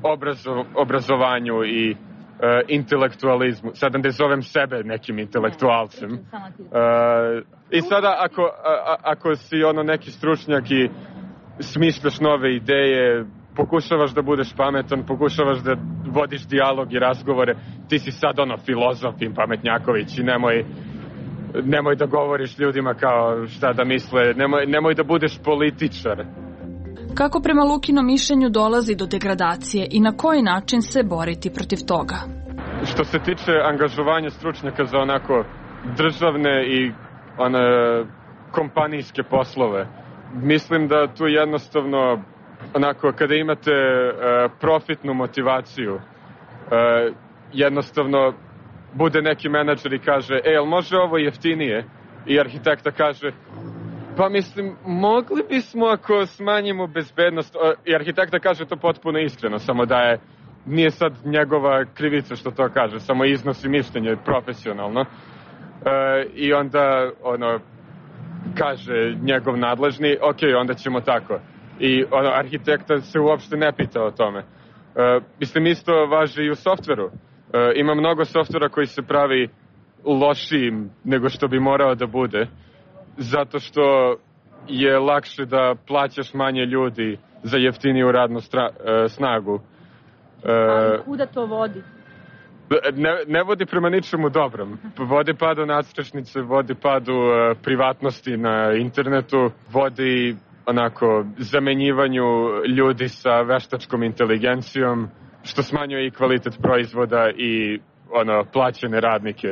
obrazo, obrazovanju i e, intelektualizmu. Sada ne zovem sebe nekim intelektualcem. E, I sada ako, a, ako si ono neki stručnjak i smišljaš nove ideje, pokušavaš da budeš pametan, pokušavaš da vodiš dijalog i razgovore, ti si sad ono filozof i pametnjaković i nemoj, nemoj da govoriš ljudima kao šta da misle, nemoj, nemoj da budeš političar. Kako prema Lukinom mišljenju dolazi do degradacije i na koji način se boriti protiv toga? Što se tiče angažovanja stručnjaka za onako državne i one kompanijske poslove, mislim da tu jednostavno onako kada imate uh, profitnu motivaciju, uh, jednostavno bude neki menadžer i kaže, e, jel može ovo jeftinije? I arhitekta kaže, pa mislim, mogli bismo ako smanjimo bezbednost. I arhitekta kaže to potpuno iskreno, samo da je, nije sad njegova krivica što to kaže, samo iznosi mišljenje profesionalno. Uh, I onda, ono, kaže njegov nadležni, ok, onda ćemo tako. I ono, arhitekta se uopšte ne pita o tome. Uh, mislim, isto važi i u softveru. Uh, ima mnogo softvera koji se pravi lošijim nego što bi morao da bude, zato što je lakše da plaćaš manje ljudi za jeftiniju radnu stra, uh, snagu. Uh, Ali kuda to vodi? Ne, ne vodi prema ničemu dobrom. Vodi padu nadstrešnice, vodi padu uh, privatnosti na internetu, vodi onako zamenjivanju ljudi sa veštačkom inteligencijom, što smanjuje i kvalitet proizvoda i ono plaćene radnike.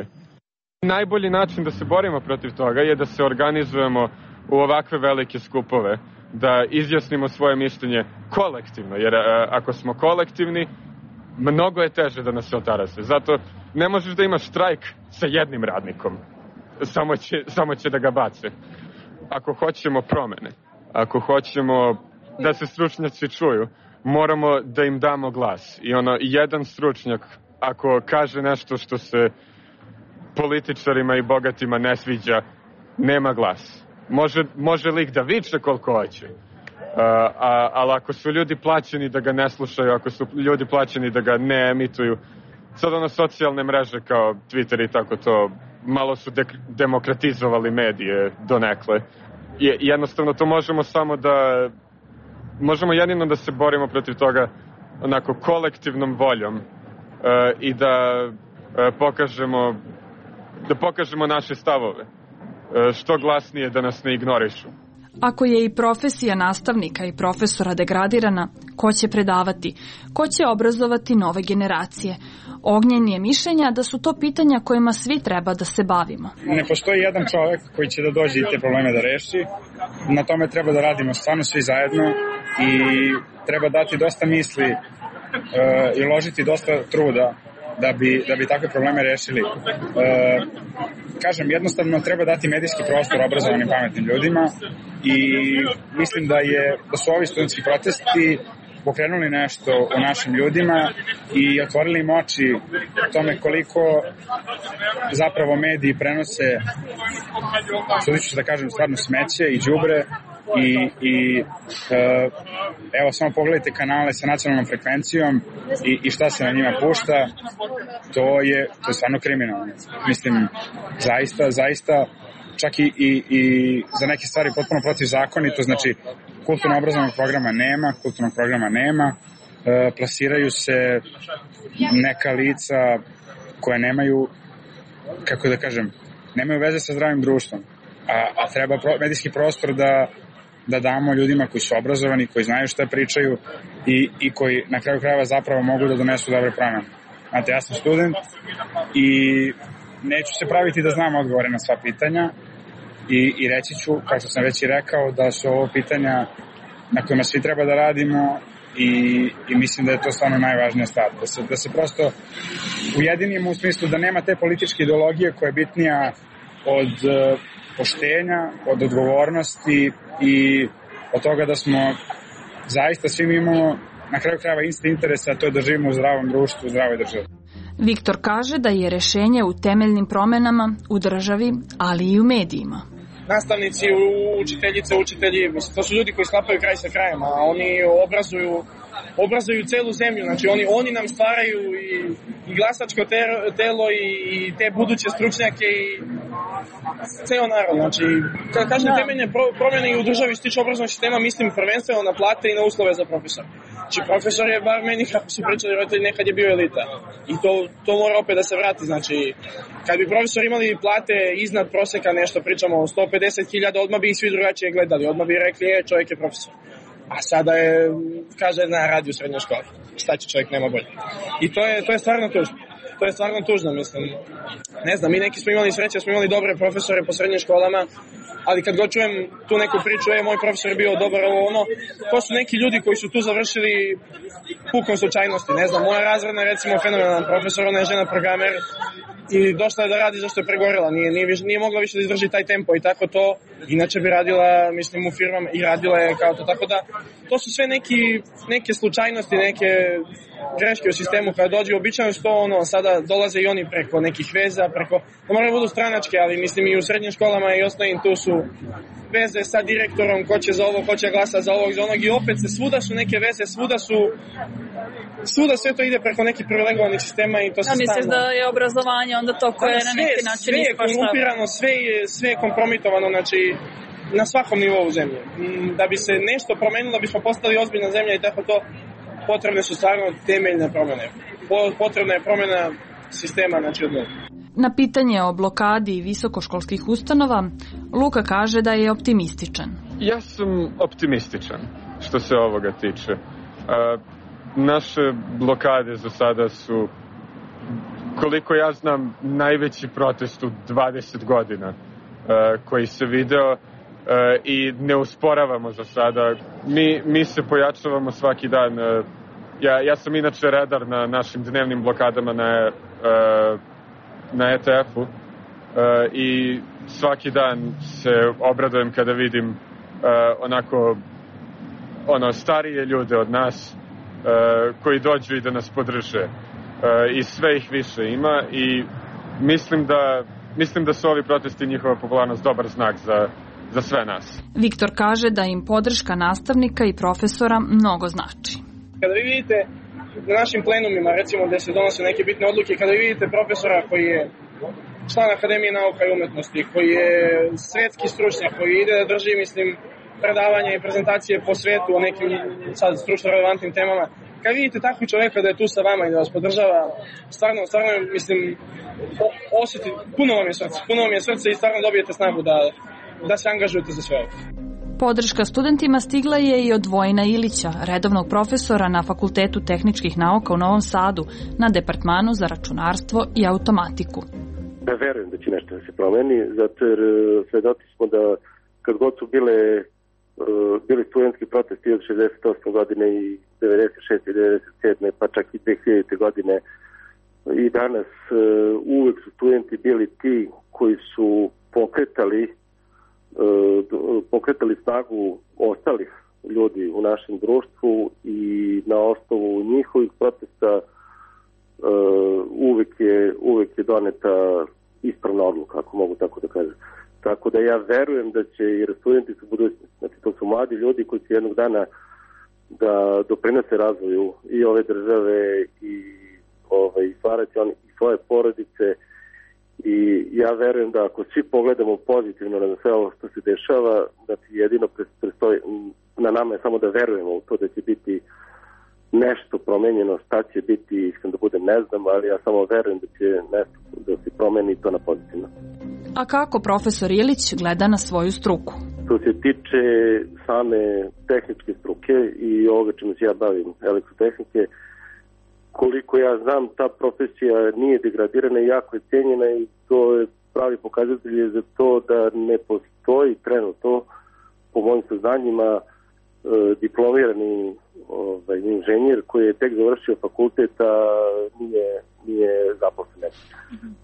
Najbolji način da se borimo protiv toga je da se organizujemo u ovakve velike skupove, da izjasnimo svoje mišljenje kolektivno, jer a, ako smo kolektivni, mnogo je teže da nas se otarase. Zato ne možeš da imaš štrajk sa jednim radnikom, samo će, samo će da ga bace. Ako hoćemo promene, ako hoćemo da se stručnjaci čuju, moramo da im damo glas. I ono, jedan stručnjak, ako kaže nešto što se političarima i bogatima ne sviđa, nema glas. Može, može lik da viče koliko hoće, uh, a, ali ako su ljudi plaćeni da ga ne slušaju, ako su ljudi plaćeni da ga ne emituju, sad ono socijalne mreže kao Twitter i tako to, malo su de- demokratizovali medije donekle. Je, jednostavno to možemo samo da možemo jedino da se borimo protiv toga onako kolektivnom voljom uh, i da uh, pokažemo da pokažemo naše stavove uh, što glasnije, da nas ne ignorišu. Ako je i profesija nastavnika i profesora degradirana, ko će predavati? Ko će obrazovati nove generacije? Ognjen je mišljenja da su to pitanja kojima svi treba da se bavimo. Ne postoji jedan čovek koji će da dođe i te probleme da reši. Na tome treba da radimo stvarno svi zajedno i treba dati dosta misli uh, i uložiti dosta truda da bi, da bi takve probleme rešili. Uh, kažem, jednostavno treba dati medijski prostor obrazovanim pametnim ljudima i mislim da, je, da su ovi studentski protesti pokrenuli nešto u našim ljudima i otvorili im oči tome koliko zapravo mediji prenose, što ću da kažem, stvarno smeće i đubre i, i uh, evo samo pogledajte kanale sa nacionalnom frekvencijom i, i šta se na njima pušta, to je, to je stvarno kriminalno. Mislim, zaista, zaista čak i, i, i za neke stvari potpuno protivzakonito, znači kulturno-obrazovnog programa nema, kulturnog programa nema, e, plasiraju se neka lica koje nemaju, kako da kažem, nemaju veze sa zdravim društvom, a, a treba pro, medijski prostor da, da damo ljudima koji su obrazovani, koji znaju šta pričaju i, i koji na kraju krajeva zapravo mogu da donesu dobre promene. Znate, ja sam student i neću se praviti da znam odgovore na sva pitanja i, i reći ću, kao što sam već i rekao, da su ovo pitanja na kojima svi treba da radimo i, i mislim da je to stvarno najvažnija stvar. Da se, da se prosto ujedinimo u smislu da nema te političke ideologije koja je bitnija od uh, poštenja, od odgovornosti i od toga da smo zaista svi imamo na kraju krajeva isti interesa, a to je da živimo u zdravom društvu, u zdravoj državi. Viktor kaže da je rešenje u temeljnim promenama u državi, ali i u medijima. Nastavnici, učiteljice, učitelji, to su ljudi koji sklapaju kraj sa krajem, a oni obrazuju, obrazuju celu zemlju, znači oni, oni nam stvaraju i, i glasačko telo i, i te buduće stručnjake i ceo narod, znači kada kažem da. Temeljne pro, promjene i u državi što tiče obrazovnog sistema, mislim prvenstveno na plate i na uslove za profesora. Znači, profesor je, bar meni kako su pričali roditelji, nekad je bio elita. I to, to mora opet da se vrati. Znači, kad bi profesor imali plate iznad proseka, nešto pričamo o sto pedeset hiljada, odmah bi ih svi drugačije gledali. Odmah bi rekli, je, čovjek je profesor. A sada je, kaže, na radi u srednjoj školi. Šta će čovjek, nema bolje. I to je, to je stvarno tužno. To je stvarno tužno, mislim. Ne znam, mi neki smo imali sreće, smo imali dobre profesore po srednjim školama, ali kad god čujem tu neku priču, je, moj profesor je bio dobar, ovo ono, to su neki ljudi koji su tu završili pukom slučajnosti. Ne znam, moja razredna, recimo, fenomenalan profesor, ona je žena programer i došla je da radi zašto je pregorela, nije, nije, nije mogla više da izdrži taj tempo i tako to, inače bi radila, mislim, u firmama i radila je kao to, tako da to su sve neki, neke slučajnosti, neke greške u sistemu kada dođe, običajno što ono, sada dolaze i oni preko nekih veza, preko, to moraju budu stranačke, ali mislim i u srednjim školama i osnovnim tu su veze sa direktorom, ko će za ovo, ko će glasa za ovog, za onog i opet se svuda su neke veze, svuda su svuda sve to ide preko nekih privilegovanih sistema i to se stalno. Ja misliš da je obrazovanje onda to koje je na neki način sve je korumpirano, sve je, sve je kompromitovano, znači na svakom nivou zemlje. Da bi se nešto promenilo, da bismo postali ozbiljna zemlja i tako to, potrebne su stvarno temeljne promjene. Potrebna je promjena sistema, znači odmah. Na pitanje o blokadi visokoškolskih ustanova, Luka kaže da je optimističan. Ja sam optimističan što se ovoga tiče. A, naše blokade za sada su, koliko ja znam, najveći protest u dvadeset godina a, koji se video a, i ne usporavamo za sada. Mi, mi se pojačavamo svaki dan. A, ja, ja sam inače redar na našim dnevnim blokadama na a, na E T F-u uh, i svaki dan se obradujem kada vidim uh, onako ono starije ljude od nas uh, koji dođu i da nas podrže uh, i sve ih više ima i mislim da mislim da su ovi protesti i njihova popularnost dobar znak za, za sve nas. Viktor kaže da im podrška nastavnika i profesora mnogo znači. Kada vi vidite na našim plenumima, recimo, gde se donose neke bitne odluke, kada vi vidite profesora koji je član Akademije nauka i umetnosti, koji je svetski stručnjak, koji ide da drži, mislim, predavanja i prezentacije po svetu o nekim sad stručno relevantnim temama, kad vidite takvog čoveka da je tu sa vama i da vas podržava, stvarno, stvarno, mislim, osjeti, puno vam je srce, puno vam je srce i stvarno dobijete snagu da, da se angažujete za sve ovo. Podrška studentima stigla je i od Vojina Ilića, redovnog profesora na Fakultetu tehničkih nauka u Novom Sadu, na departmanu za računarstvo i automatiku. Da verujem da će nešto da se promeni, zato jer svedoci smo da kad god su bile, bili studentski protesti od šezdeset osme godine i devedeset šeste i devedeset sedme pa čak i dve hiljadite godine i danas uvek su studenti bili ti koji su pokretali pokretali snagu ostalih ljudi u našem društvu i na osnovu njihovih protesta uvek je, uvek je doneta ispravna odluka, ako mogu tako da kažem. Tako da ja verujem da će i studenti su budućnosti, znači to su mladi ljudi koji će jednog dana da doprinose razvoju i ove države i ovaj, stvarati oni i svoje porodice. I ja verujem da ako svi pogledamo pozitivno na sve ovo što se dešava, da ti jedino prestoji, na nama je samo da verujemo u to da će biti nešto promenjeno, šta će biti, iskreno da budem ne znam, ali ja samo verujem da će nešto da se promeni to na pozitivno. A kako profesor Ilić gleda na svoju struku? Što se tiče same tehničke struke i ovoga čemu se ja bavim, elektrotehnike, koliko ja znam, ta profesija nije degradirana i jako je cijenjena i to je pravi pokazatelj za to da ne postoji trenutno, po mojim saznanjima, diplomirani ovaj, inženjer koji je tek završio fakultet, a nije, nije zaposlen. Mm-hmm.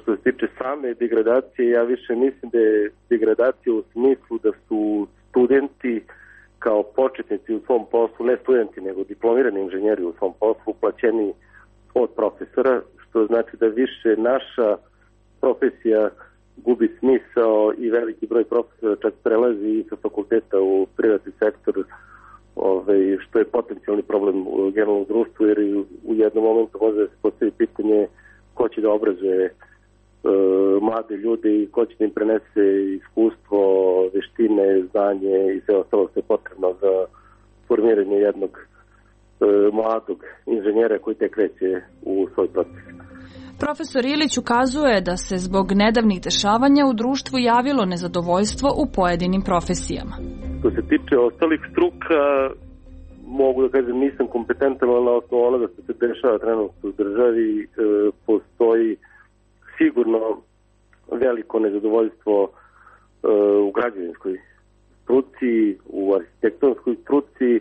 Što se tiče same degradacije, ja više mislim da je degradacija u smislu da su studenti kao početnici u svom poslu, ne studenti, nego diplomirani inženjeri u svom poslu, plaćeni od profesora, što znači da više naša profesija gubi smisao i veliki broj profesora čak prelazi i sa fakulteta u privatni sektor, ovaj, što je potencijalni problem u generalnom društvu, jer u jednom momentu može da se postavi pitanje ko će da obrazuje e, mlade ljude i ko će da im prenese iskustvo, veštine, znanje i sve ostalo što je potrebno za formiranje jednog mladog inženjera koji tek kreće u svoj proces. Profesor Ilić ukazuje da se zbog nedavnih dešavanja u društvu javilo nezadovoljstvo u pojedinim profesijama. Što se tiče ostalih struka, mogu da kažem nisam kompetentan, ali na osnovu onoga što se dešava trenutno u državi e, postoji sigurno veliko nezadovoljstvo e, u građevinskoj struci, u arhitektonskoj struci, e,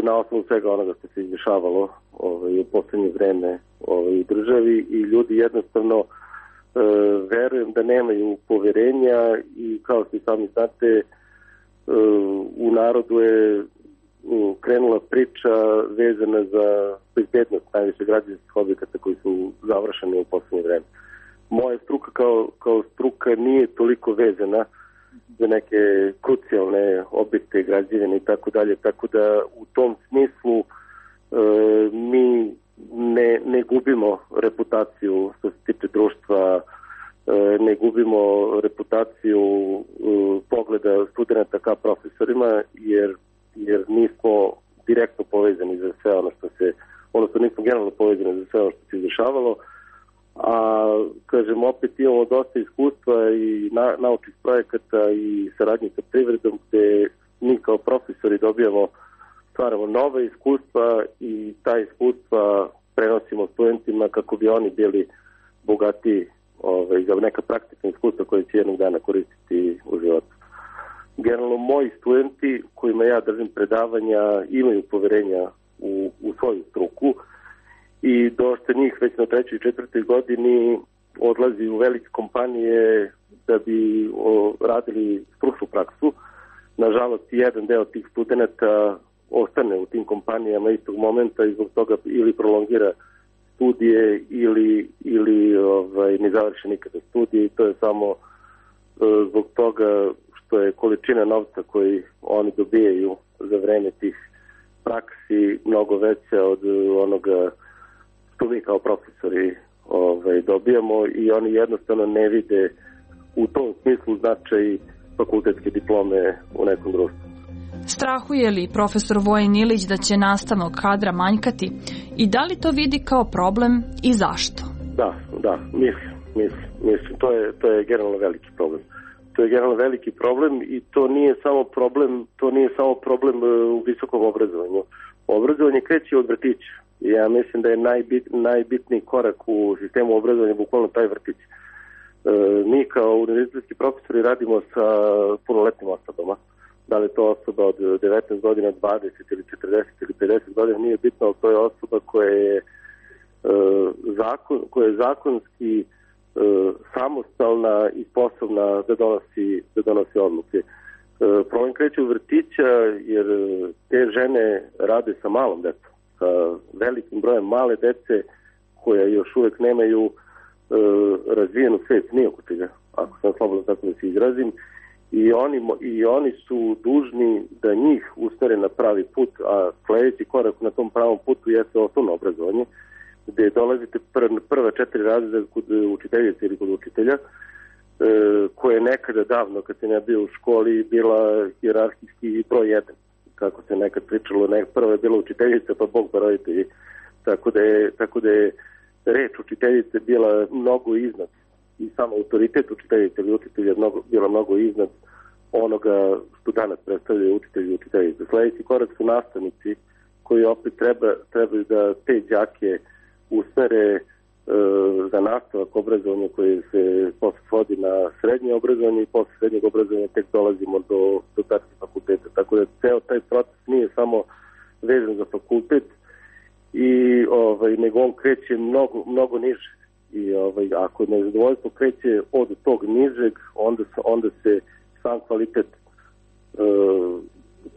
na osnovu svega onoga što se izdešavalo ovaj, u poslednje vreme ovaj, u državi i ljudi jednostavno e, verujem da nemaju poverenja i kao što i sami znate e, u narodu je krenula priča vezana za bezbednost najviše građevinskih objekata koji su završeni u poslednje vreme. Moja struka kao, kao struka nije toliko vezana za neke krucijalne objekte, građevine i tako dalje, tako da u tom smislu e, mi ne, ne gubimo reputaciju što se tiče društva, e, ne gubimo reputaciju e, pogleda studenta ka profesorima, jer jer nismo direktno povezani za sve ono što se, odnosno nismo generalno povezani za sve ono što se izdešavalo, a kažem opet imamo dosta iskustva i na, naučnih projekata i saradnje sa privredom gde mi kao profesori dobijamo, stvaramo nove iskustva i ta iskustva prenosimo studentima kako bi oni bili bogati ovaj, za neka praktična iskustva koje će jednog dana koristiti u životu. Generalno, moji studenti kojima ja držim predavanja imaju poverenja u, u svoju struku i dosta njih već na trećoj i četvrtoj godini odlazi u velike kompanije da bi o, radili stručnu praksu. Nažalost, jedan deo tih studenta ostane u tim kompanijama istog momenta i zbog toga ili prolongira studije ili, ili ovaj, ne završi nikada studije i to je samo e, zbog toga što je količina novca koji oni dobijaju za vreme tih praksi mnogo veća od onoga što mi kao profesori ovaj, dobijamo i oni jednostavno ne vide u tom smislu značaj fakultetske diplome u nekom društvu. Strahuje li profesor Vojin Ilić da će nastavnog kadra manjkati i da li to vidi kao problem i zašto? Da, da, mislim, mislim, mislim. To je, to je generalno veliki problem. To je generalno veliki problem i to nije samo problem, to nije samo problem u visokom obrazovanju. Obrazovanje kreće od vrtića. Ja mislim da je najbit, najbitniji korak u sistemu obrazovanja bukvalno taj vrtić. E, mi kao univerzitetski profesori radimo sa punoletnim osobama. Da li to osoba od devetnaest godina, dvadeset ili četrdeset ili pedeset godina, nije bitno, ali to je osoba koja je, e, zakon, koja je zakonski samostalna i sposobna da donosi, da donosi odluke. Problem kreće u vrtića jer te žene rade sa malom decom, sa velikim brojem male dece koja još uvek nemaju razvijenu svest ni oko čega, ako sam slobodno tako da se izrazim, i oni, i oni su dužni da njih usmere na pravi put, a sledeći korak na tom pravom putu jeste osnovno obrazovanje, gde dolazite pr- prva četiri razreda kod učiteljice ili kod učitelja, e, koje je nekada davno, kad sam ja bio u školi, bila hijerarhijski broj jedan. Kako se nekad pričalo, ne, prva je bila učiteljica, pa Bog pa roditelji. Tako da je, tako da je reč učiteljice bila mnogo iznad i samo autoritet učiteljice ili učitelja mnogo, bila mnogo iznad onoga što danas predstavljaju učitelji i učiteljice. Sledeći korak su nastavnici koji opet treba, trebaju da te đake usmere e, za nastavak obrazovanja koje se posle svodi na srednje obrazovanje i posle srednjeg obrazovanja tek dolazimo do, do tačke fakulteta. Tako da ceo taj proces nije samo vezan za fakultet i ovaj, nego on kreće mnogo, mnogo niže. I ovaj, ako nezadovoljstvo kreće od tog nižeg, onda se, onda se sam kvalitet e,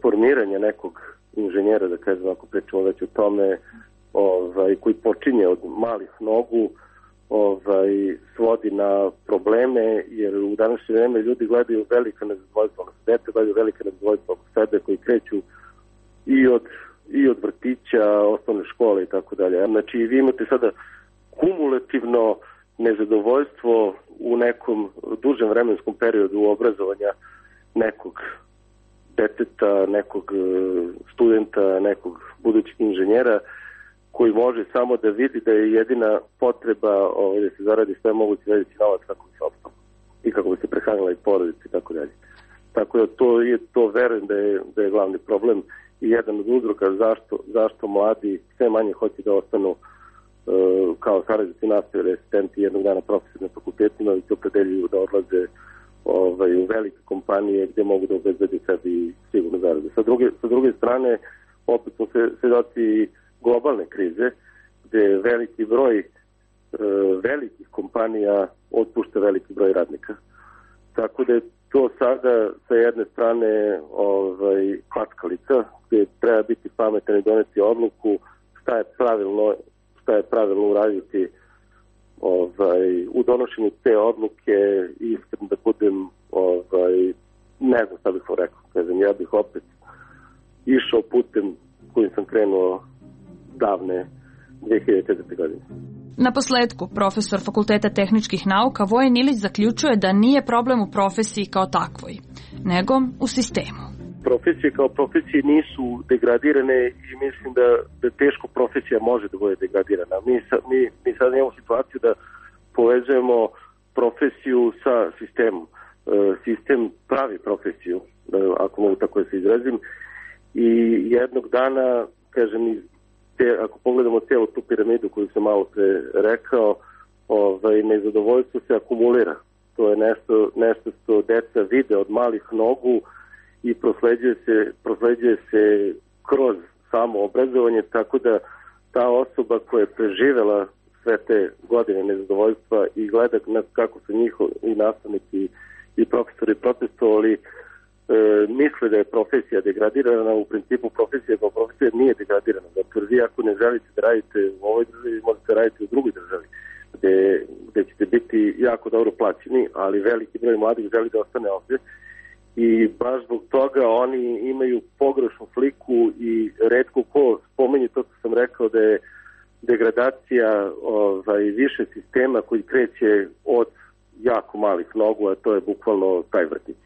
formiranja nekog inženjera, da kažem, ako pričamo već o tome, ovaj, koji počinje od malih nogu, ovaj, svodi na probleme, jer u današnje vreme ljudi gledaju velika nezadovoljstva, dete gledaju velika nezadovoljstva oko sebe, koji kreću i od, i od vrtića, osnovne škole i tako dalje. Znači, vi imate sada kumulativno nezadovoljstvo u nekom dužem vremenskom periodu obrazovanja nekog deteta, nekog studenta, nekog budućeg inženjera koji može samo da vidi da je jedina potreba ovaj, da se zaradi sve mogući veći novac kako bi se opstalo i kako bi se prehranila i porodica i tako dalje. Tako da to je, to verujem da je, da je glavni problem i jedan od uzroka zašto, zašto mladi sve manje hoće da ostanu uh, kao saradnici nastave, asistenti jednog dana profesori na fakultetima i se opredeljuju da odlaze ovaj, u velike kompanije gdje mogu da obezbede sebi sigurno zarade. Sa druge, sa druge strane, opet smo se svedoci globalne krize, gdje veliki broj e, velikih kompanija otpušta veliki broj radnika. Tako da je to sada sa jedne strane ovaj, klackalica, gdje treba biti pametan i doneti odluku šta je pravilno, šta je pravilno uraditi ovaj, u donošenju te odluke. Iskreno da budem, ovaj, ne znam šta bih vam rekao, kažem, ja bih opet išao putem kojim sam krenuo davne dve hiljade četvrte. godine. Na posledku, profesor Fakulteta tehničkih nauka Vojen Ilić zaključuje da nije problem u profesiji kao takvoj, nego u sistemu. Profesije kao profesije nisu degradirane i mislim da, da teško profesija može da bude degradirana. Mi, sa, mi, mi sad imamo situaciju da povezujemo profesiju sa sistemom. E, sistem pravi profesiju, ako mogu tako da se izrazim, i jednog dana, kažem, te, ako pogledamo cijelu tu piramidu koju sam malo pre rekao, ovaj, nezadovoljstvo se akumulira. To je nešto, nešto što deca vide od malih nogu i prosleđuje se, prosleđuje se kroz samo obrazovanje, tako da ta osoba koja je preživela sve te godine nezadovoljstva i gleda kako su njihovi i nastavnici i profesori protestovali, E, misle da je profesija degradirana. U principu profesija kao profesija nije degradirana, zato jer vi ako ne želite da radite u ovoj državi, možete raditi u drugoj državi gde, gde ćete biti jako dobro plaćeni, ali veliki broj mladih želi da ostane ovdje i baš zbog toga oni imaju pogrešnu sliku i retko ko spomenje to što sam rekao da je degradacija ovaj, više sistema koji kreće od jako malih nogu, a to je bukvalno taj vrtić.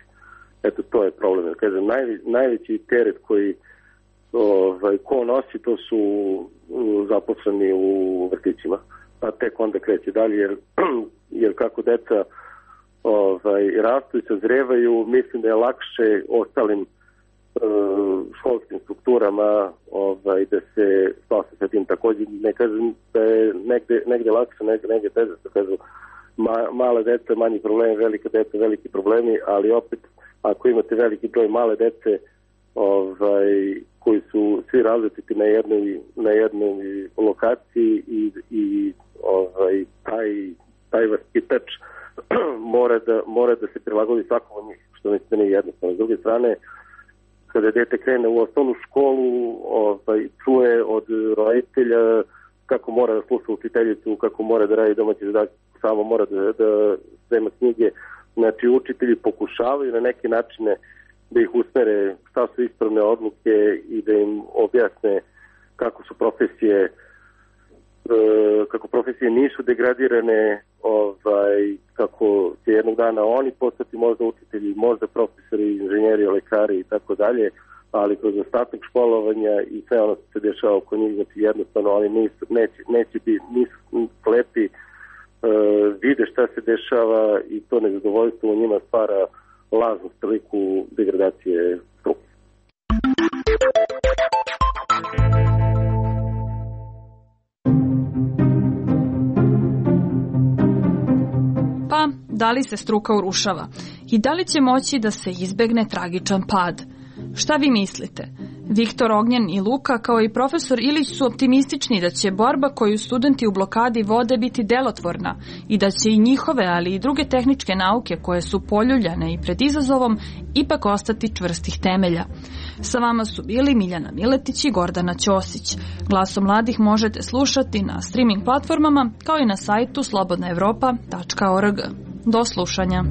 Eto, to je problem. Kažem, najve, najveći teret koji ovaj, ko nosi, to su zaposleni u vrtićima. A tek onda kreće dalje, jer, jer kako deca ovaj, rastu i sazrevaju, mislim da je lakše ostalim uh, školskim strukturama ovaj, da se spase sa tim. Također ne kažem da je negde, negde lakše, negde, negde teže. Kažu, ma, male deca, manji problemi, velike deca, veliki problemi, ali opet ako imate veliki broj male dece ovaj, koji su svi različiti na jednoj, na jednoj lokaciji i, i ovaj, taj, taj vaspitač mora da, mora da se prilagodi svakom od njih, što mislim da nije jednostavno. S druge strane, kada dete krene u osnovnu školu, ovaj, čuje od roditelja kako mora da sluša učiteljicu, kako mora da radi domaći zadatak, samo mora da, da sprema knjige. Znači, učitelji pokušavaju na neke načine da ih usmere šta su ispravne odluke i da im objasne kako su profesije e, kako profesije nisu degradirane, ovaj, kako će jednog dana oni postati možda učitelji, možda profesori, inženjeri, lekari i tako dalje, ali kroz ostatak školovanja i sve ono što se dešava oko njih, znači jednostavno oni nisu, neće, neće biti, nisu slepi, Uh, vide šta se dešava i to nezadovoljstvo u njima stvara lažnu sliku degradacije struke. Pa, da li se struka urušava? I da li će moći da se izbegne tragičan pad? Šta vi mislite? Viktor Ognjen i Luka, kao i profesor Ilić, su optimistični da će borba koju studenti u blokadi vode biti delotvorna i da će i njihove, ali i druge tehničke nauke koje su poljuljane i pred izazovom ipak ostati čvrstih temelja. Sa vama su bili Miljana Miletić i Gordana Ćosić. Glasom mladih možete slušati na streaming platformama kao i na sajtu slobodna evropa tačka org. Do slušanja.